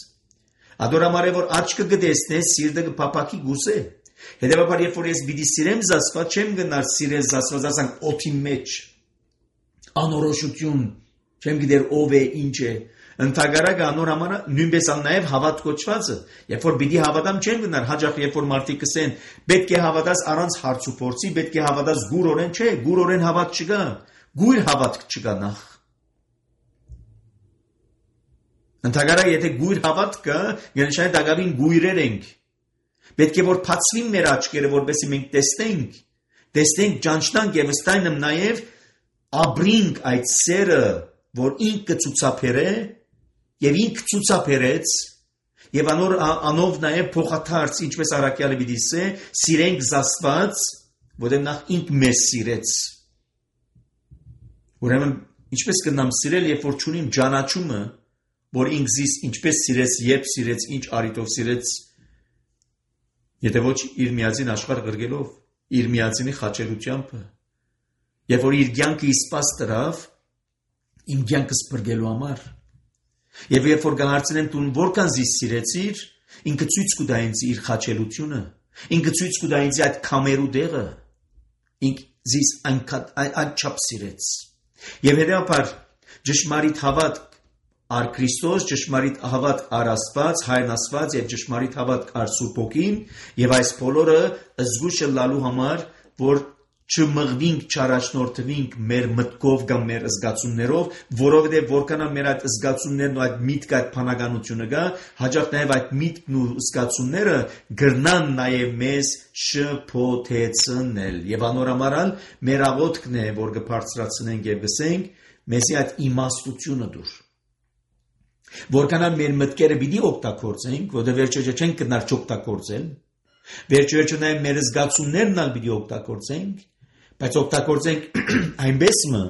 Ադորամար է որ աչքը կտեսնե, սիրտը կփափակի գուսե։ Հետևաբար երբ որ ես պիտի սիրեմ Աստված, չեմ գնար սիրել Աստված, ասենք օդի մեջ։ Անորոշություն, չեմ գիտեր ով է, ինչ է։ Ընթագարակը անորամանը նույնպես նաև հավատ կոչվածը, երբ որ պիտի հավատամ չեմ գնար, հաջող երբ որ մարդիկ կսեն, պետք է հավատաս առանց հարց ու փորձի, պետք է հավատաս գուրորեն, չէ, գուրորեն հավատ չկա, գույր հավատ չկա նախ։ Ընթագարակը եթե գույր հավատ կա, գնշային դակավին գույրեր ենք։ Պետք է որ բացվին մեր աչքերը, որպեսզի մենք տեսնենք, տեսնենք, ճանչնանք եւ ըստայնմ նաև ապրինք այդ սերը, որ ինքը ցուցաբերե եւ ինքը ցուցաբերեց եւ անոր անով նաև փոխաթարց, ինչպես Արաքյալը պիտի ասե, սիրենք Աստված, որտեղ նախ ինքը մեզ սիրեց։ Ուրեմն ինչպես կնամ սիրել, երբ որ ճունիմ ճանաչումը, որ ինքզիս ինչպես սիրեց, երբ սիրեց, ինչ արիտով սիրեց, Եթե ոչ իր միածին աշխարհ գրգելով, իր միածինի խաչելությամբ, երբ որ իր կյանքը իսպաս տրավ, իմ կյանքը սփռգելու համար, եւ երբ որ կհարցնեմ դու որքան զիս սիրեցիր, ինքը ցույց կտա ինձ իր խաչելությունը, ինքը ցույց կտա ինձ այդ կամերու դեղը, ինքը զիս անչափ սիրեց։ Եվ հետեւաբար ճշմարիտ հավատք ար Քրիստոս, ճշմարիտ հավատք ար Աստված, Հայրն Աստված եւ ճշմարիտ հավատք ար Սուրբ Հոգին, եւ այս բոլորը զգուշ լալու համար, որ չմղվինք, չարաշնորթվինք մեր մտքով կամ մեր զգացումներով, որովհետեւ որքանա մեր այդ զգացումներն ու այդ միտքը, այդ փանականությունը գա, հաջող նաեւ այդ միտքն ու զգացումները գրնան նաեւ մեզ շփոթեցնել եւ անորամարալ մեր աղոթքն է, որ կբարձրացնենք եւ գսենք, մեզի այդ իմաստությունը դուր։ Որքանալ մեր մտքերը պիտի օգտագործենք, որովհետեւ վերջը չենք գնալ չօգտագործել, վերջը նաեւ մեր զգացումներն ալ պիտի օգտագործենք, բայց օգտագործենք այնպես մը,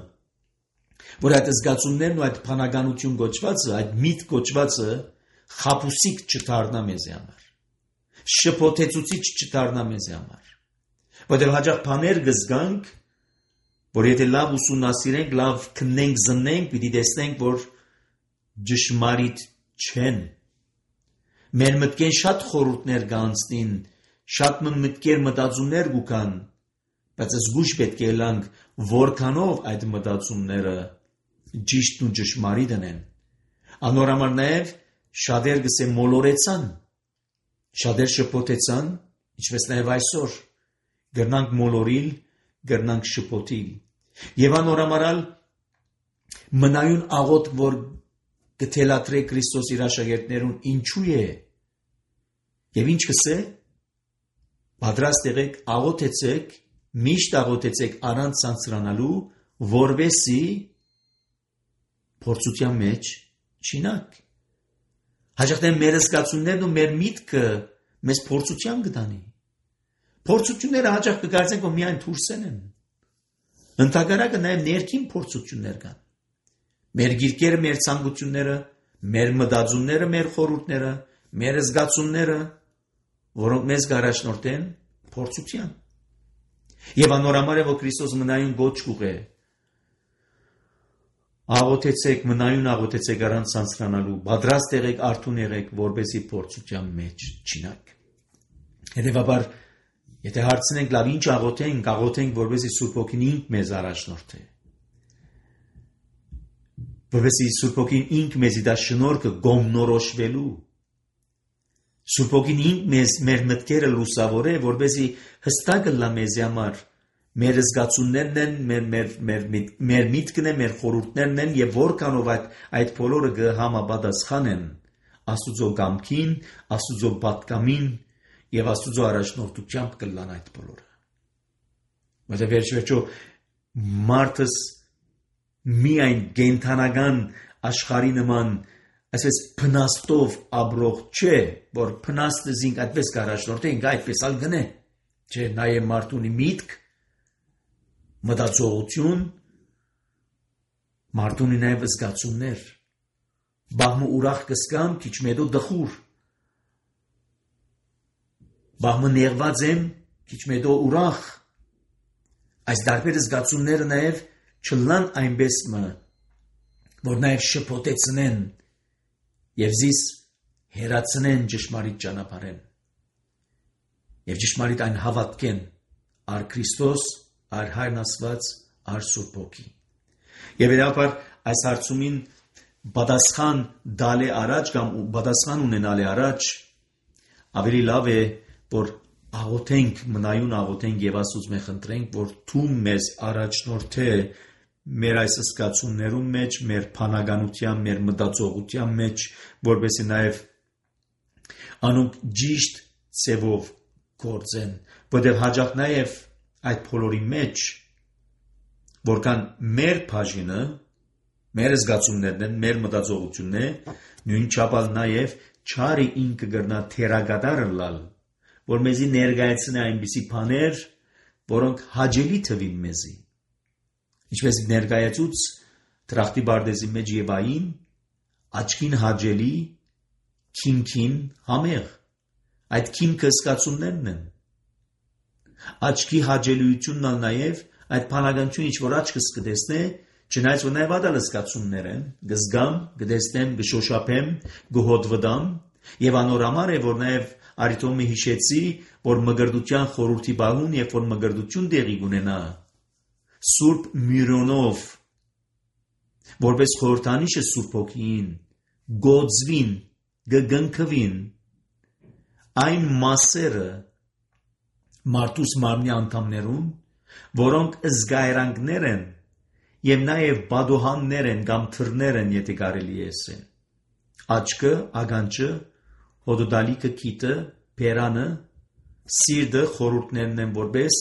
որ այդ զգացումներն ու այդ փանականություն գոչվածը, այդ միտ գոչվածը խապուսիկ չդառնա մեզ համար, շփոթեցուցիչ չդառնա մեզ համար, որովհետեւ հաջող բաներ կզգանք, որ եթե լավ ուսումնասիրենք, լավ քննենք, զննենք, պիտի տեսնենք, որ ճշմարիտ չեն։ Մեր մտքեն շատ խորհուրդներ կանցնին, շատ մտքեր մտածումներ կան, բայց զգուշ պետք է լանք, որքանով այդ մտածումները ճիշտն ու ճշմարիտն են։ Անորամար նաև շատեր գսե մոլորեցան, շատեր շփոթեցան, ինչպես նաև այսօր գրնանք մոլորիլ, գրնանք շփոթիլ։ Եվ անորամարալ մնայուն աղոտ, որ կթելատրե Քրիստոս իր աշակերտներուն ինչու է եւ ինչ կսե պատրաստ եղեք աղոթեցեք միշտ աղոթեցեք առանց ցանցրանալու որովհետեւ փորձության մեջ չինակ հաջողեն մեր զգացումներն ու մեր միտքը մեզ փորձության կտանի փորձությունները հաջող կգործեն որ միայն դուրսեն են ընդհանրակը նաեւ ներքին փորձություններ կան Մեր գիրկերը, մեր ցանկությունները, մեր մտածումները, մեր խորհուրդները, մեր զգացումները, որոնք մեզ գարաշնորհեն փորձության։ Եվ անորամար է, որ Քրիստոս մնայուն գոչ կուղե։ Աղոթեցեք, մնայուն աղոթեցեք առանց ցանցրանալու, պատրաստ եղեք, արթուն եղեք, որպեսզի փորձության մեջ չինակ։ Հետևաբար, եթե հարցնենք լավ ինչ աղոթենք, աղոթենք, որպեսզի Սուրբ Հոգին ինք մեզ առաջնորդի։ Որովհետեւ Սուրբ Հոգին ինք մեզի դա շնորհքը գոմնորոշվելու Սուրբ Հոգին ինք մեզ մեր մտքերը լուսավորե որովհետեւ հստակ լա մեզ համար մեր զգացումներն են մեր մեր մեր մեր միտքն է մեր խորհուրդներն են եւ որքանով այդ այդ բոլորը կհամապատասխանեն Աստուծո կամքին Աստուծո պատկամին եւ Աստուծո առաջնորդությամբ կլան այդ բոլորը որովհետեւ վերջո մարդս միայն գենթանական աշխարհի նման այսպես փնաստով ապրող չէ, որ փնաստը զինք այդպես կարաշնորթենք, այդպես ալ գնե, չէ, նաև մարդունի միտք, մտածողություն, մարդունի նաև զգացումներ, բահմը ուրախ կսկամ, քիչ մեդո դխուր, բահմը նեղված եմ, քիչ մեդո ուրախ, այս դարբեր զգացումները նաև չլան այնպես մը, որ նաև շփոթեցնեն և զիս հերացնեն ճշմարիտ ճանապարհեն և ճշմարիտ այն հավատքեն ար Քրիստոս, ար Հայրն Աստված, ար Սուրբ Հոգի։ Եվ հետապար այս հարցումին պատասխան դալե առաջ կամ պատասխան ունենալե առաջ ավելի լավ է, որ աղոթենք, մնայուն աղոթենք և Աստուծո մե խնդրենք, որ դու մեզ առաջնորդե մեր այս զգացումներում մեջ, մեր փանականության, մեր մտածողության մեջ, որպեսզի նաև անոնք ճիշտ ծևով գործեն, որտեղ հաջող նաև այդ բոլորի մեջ, որքան մեր բաժինը, մեր զգացումներն են, մեր մտածողությունն է, նույն չափալ նաև չարի ինքը գրնա թերագադարը լալ, որ մեզի ներկայացնի այնպիսի բաներ, որոնք հաճելի թվին մեզի։ Ինչպես ներկայացուց Տրախտի Բարդեզի մեջ Եվային, աչքին հաճելի, քինքին համեղ։ Այդ քիմքը զգացումներն են։ Աչքի հաճելիությունն ալ նաև այդ բանականությունը ինչ որ աչքս կտեսնե, չնայած որ նաև ադալ զգացումներ են, գզգամ, գտեսնեմ, գշոշափեմ, գհոտվդամ, եւ անորամար է որ նաև արիտոմի հիշեցի, որ մգրդության խորհրդի բահուն, երբ որ մգրդություն տեղի ունենա, Սուրբ Միրոնով, որպես խորհրդանիշը Սուրբ Հոգին, գոձվին, գգնքվին, այն մասերը մարդուս մարմնի անդամներուն, որոնք զգայրանքներ են եւ նաեւ բադոհաններ են կամ թռներ են, եթե կարելի է ասել։ Աչքը, ագանջը, հոդոդալիկը, քիթը, բերանը, սիրտը խորհուրդներն են որպես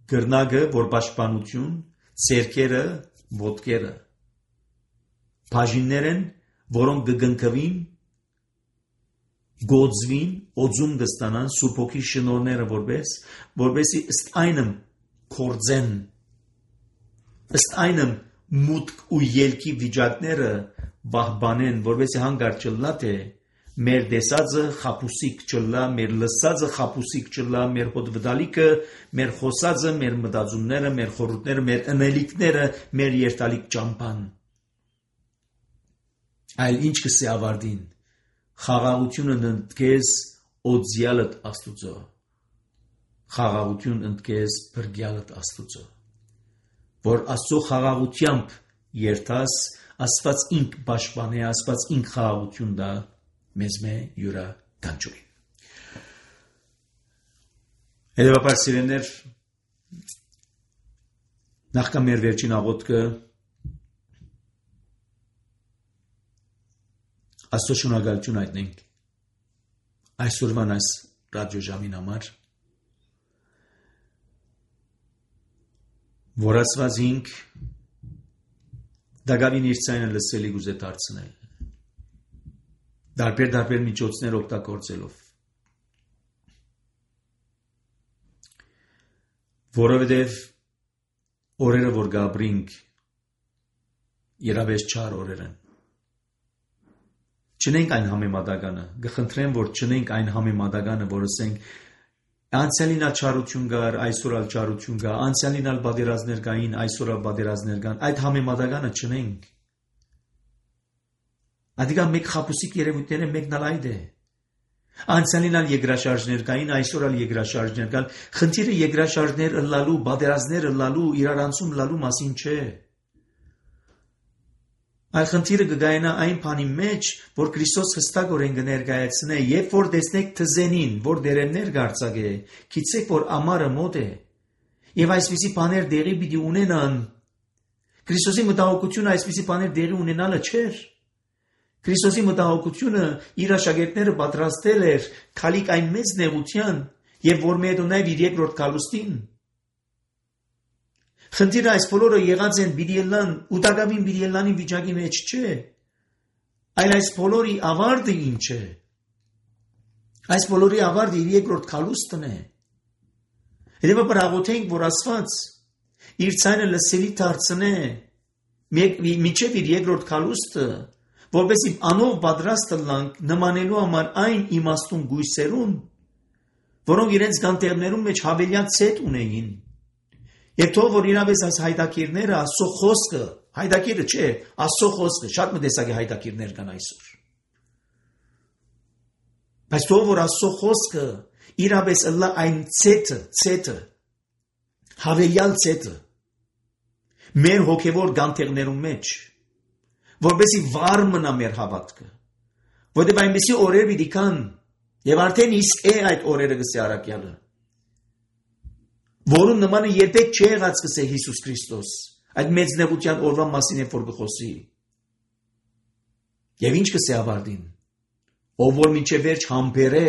գրնագը, որ պաշտպանություն, ցերկերը, ոտքերը։ Բաժիններ են, որոնք կգնքվին, գոձվին, օձում կստանան Սուրբ Հոգի շնորհները որպես, որպեսի ըստ այնմ կործեն, ըստ այնմ մուտք ու ելքի վիճակները բահբանեն, որպեսի հանգարտ չլա թե մեր տեսածը խապուսիկ չլա, մեր լսածը խապուսիկ չլա, մեր հոդվդալիկը, մեր խոսածը, մեր մտածումները, մեր խորհուրդները, մեր ընելիքները, մեր երթալիկ ճամփան։ Այլ ինչ կսի ավարտին, խաղաղությունը ընդգես օձյալդ Աստուծո, խաղաղություն ընդգես բրգյալդ Աստուծո, որ Աստծո խաղաղությամբ երթաս, Աստված ինք պաշտպանե, Աստված ինք խաղաղություն դա մեզ մե յուրա կանչուրին։ Հետևաբար սիրելիներ, նախքան մեր վերջին աղոթքը Աստծո շնորհակալություն հայտնենք այսօրվան այս ռադիոժամին համար, որ Աստված ինք դակավին իր ցայնը լսելի գուզե դարձնել, դարբեր դարբեր միջոցներ օգտագործելով, որովհետև օրերը որ գաբրինք երավես չար օրեր են, չնենք այն համեմատականը, գխնդրեմ, որ չնենք այն համեմատականը, որ ասենք անցյալին ալ չարություն կար, այսօր ալ չարություն կա, անցյալին ալ բادرազներ կային, այսօր ալ բادرազներ կան, այդ համեմատականը չնենք։ Ադիգա մեկ խապուսիկ երևույթներ են, մեկն ալ այդ է։ Անցյալին ալ եգրաշարժներ կային, այսօր ալ եգրաշարժներ կան, խնդիրը եգրաշարժներ ըլլալու, բادرազներ ըլլալու, իրարանցում ըլլալու մասին չէ։ Այլ խնդիրը կգայնա այն բանի մեջ, որ Քրիստոս հստակորեն կներկայացնե, երբ որ տեսնեք թզենին, որ դերերներ կարձակե, գիտեք, որ ամառը մոտ է, եւ այսպիսի բաներ դեղի պիտի ունենան։ Քրիստոսի մտահոգությունը այսպիսի բաներ դեղի ունենալը չէր։ Քրիստոսի մտահոգությունը իր աշակերտները պատրաստել էր քալիք այն մեծ նեղության, եւ որ մեդո նաեւ իր երկրորդ գալուստին։ Խնդիրը այս բոլորը եղած են բիդիելան, ու դակավին բիդիելանի վիճակի մեջ չէ, այլ այս բոլորի ավարտը ինչ է։ Այս բոլորի ավարտը իր երկրորդ գալուստն է։ Հետևաբար աղոթենք, որ Աստված իր ցայնը լսելի դարձնե մինչև իր երկրորդ գալուստը, որպեսզի անով պատրաստ լանք նմանելու համար այն իմաստուն գույսերուն, որոնք իրենց գանտերներում մեջ հավելյալ ցետ ունեին։ Եվ թող որ իրավես այս հայտակիրները Աստծո խոսքը, հայտակիրը չէ, Աստծո խոսքը, շատ մտեսակի հայտակիրներ կան այսօր։ Բայց թող որ Աստծո խոսքը իրավես ըլլա այն ցետը, ցետը, հավելյալ ցետը, մեր հոգևոր գանտերներում մեջ, որպեսզի վառ մնա մեր հավատքը, որտեղ այնպիսի օրեր պիտի կան, եւ արդեն իսկ է այդ օրերը գսե առակյալը, որում նմանը երբեք չի եղած կսե Հիսուս Քրիստոս, այդ մեծ նեղության օրվա մասին է որ գխոսի։ Եվ ինչ կսե ավարտին, ով որ մինչև վերջ համբերե,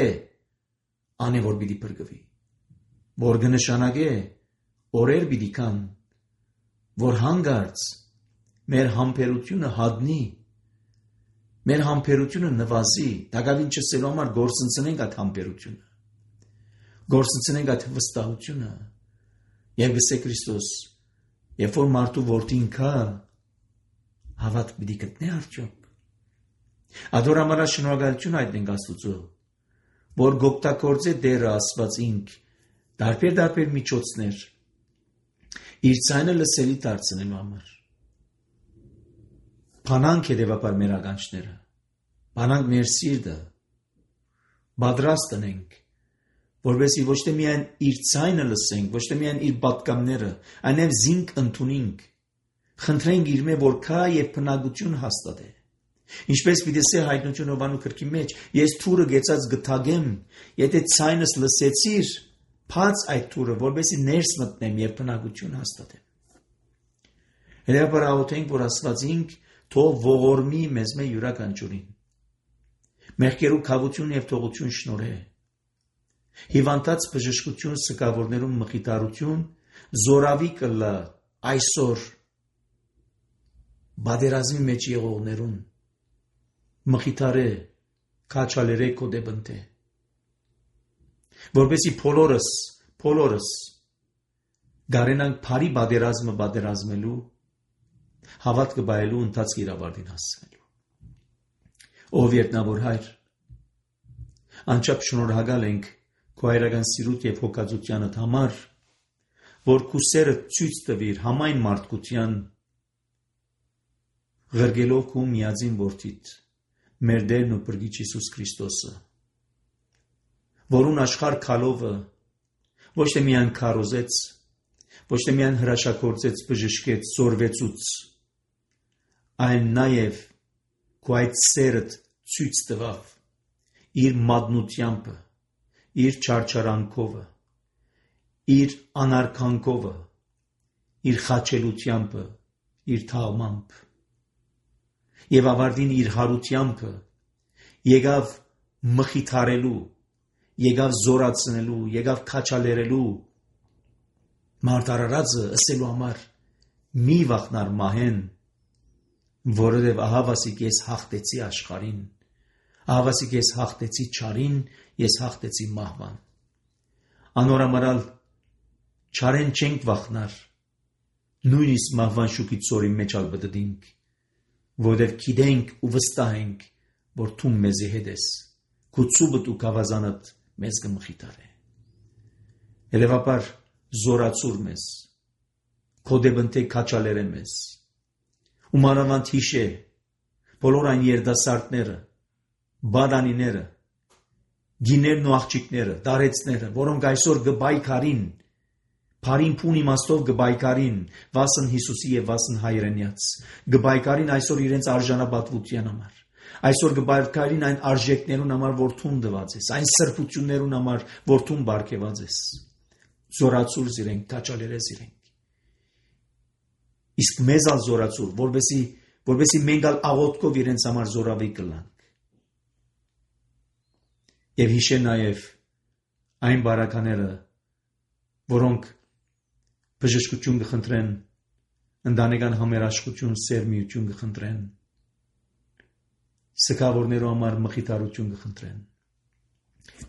անե որ պիտի փրկվի, որ կնշանակե օրեր պիտի կան, որ հանգարց մեր համբերությունը հատնի, մեր համբերությունը նվազի, դակավին չսելու համար գործընծնենք այդ համբերությունը, գործընծնենք այդ վստահությունը, եւ գսե Քրիստոս, երբ որ մարդու որդին կա, հավատ պիտի գտնե արդյոք։ Ադորամարա շնորհակալություն հայտնենք Աստուծո, որ գոկտակորձե դերը Աստված ինք դարբեր դարբեր միջոցներ իր ցայնը լսելի դարձնելու համար։ Բանանք հետևաբար մեր ականջները, բանանք մեր սիրտը, պատրաստ ենք, որովհետեւ ոչ թե միայն իր ցայնը լսենք, ոչ թե միայն իր պատկամները, այլև զինք ընդունենք, խնդրենք իր մե որ կա եւ բնակություն հաստատե։ Ինչպես Վիդեսե հայտնություն Հովանու գրքի մեջ, ես թուրը գեցած գթագեմ, եթե ցայնս լսեցիր, փած այդ թուրը, որովհետեւ ներս մտնեմ եւ բնակություն հաստատեմ։ Հետևաբար աղոթենք, որ Աստված ինք թող ողորմի մեզ մե յուրաքանչյուրին։ Մեղքերու քավություն եւ թողություն շնորհե։ Հիվանդած բժշկություն սկավորներում մխիթարություն, զորավի կլա այսօր բادرազմի մեջ եղողներուն մխիթարե քաչալերե կոդեբնտե որբեսի փոլորս փոլորս գարենանք բարի բادرազմը բادرազմելու հավատքը բայելու ընթացքի իրավարտին հասնելու ով երտնավոր հայր անչափ շնորհակալ ենք քո հայրական սիրուտ եւ հոգածությանդ համար որ քու սերը ցույց տվիր համայն մարդկության Ղրգելով քու միածին որդիդ մեր Տերն ու Փրկիչ Հիսուս Քրիստոսը որուն աշխարհ քալովը ոչ թե միայն քարոզեց ոչ թե միայն հրաշագործեց բժշկեց զորվեցուց այն նաև քու այդ սերը ցույց տվավ իր մատնությամբ իր չարչարանքով իր անարքանքով իր խաչելությամբ իր թաղմամբ եւ ավարտին իր հարությամբ եկավ մխիթարելու եկավ զորացնելու եկավ քաչալերելու մարտարարածը ասելու համար մի վախնար մահեն որովհետեւ ահավասիկ ես հաղթեցի աշխարհին ահավասիկ ես հաղթեցի չարին ես հաղթեցի մահվան անորամարալ չարեն չենք վախնար նույնիսկ մահվան շուկից ծորի մեջ ալ բդդինք որովհետև գիտենք ու վստահ ենք որ դու մեզի հետ ես քու ցուբդ ու գավազանդ մեզ կմխիթարե հետևաբար զորացուր մեզ կոդեբնտե քաչալերե մեզ ու մանավանդ հիշե բոլոր այն երդասարտները բադանիները գիներն ու աղջիկները դարեցները որոնք այսօր գբայքարին Փարին փուն իմաստով գբայքարին վասն Հիսուսի եւ վասն հայրենյաց գբայքարին այսօր իրենց արժանապատվության համար այսօր գբայքարին այն արժեքներուն համար որ թուն դված ես այն սրբություններուն համար որ թուն բարգեված ես զորացուր զիրենք քաչալերես իրենք իսկ մեզ ալ զորացուր որբեսի որբեսի մենք ալ աղոթքով իրենց համար զորավի կլանք եւ հիշե նաեւ այն բարակաները որոնք բժշկություն կխնդրեն, ընտանեկան համերաշխություն, սերմիություն կխնդրեն, սգավորներու համար մխիթարություն կխնդրեն։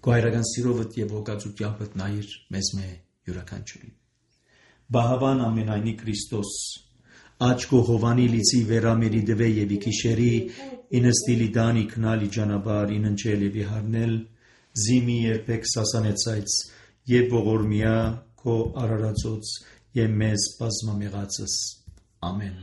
Քո հայրական սիրովդ եւ հոգածությանդ նայիր մեզ մե յուրաքանչյուրին։ Բահավան ամենայնի Քրիստոս, աչքո հովանի լիցի վերամերի դվե եւ իքիշերի, ինստիլի դանի քնալի ջանաբար, ինընչել եւ իհարնել, զիմի երբեք սասանեցայց եւ ողորմիա քո արարածոց եւ մեզ բազմամեղածս ամեն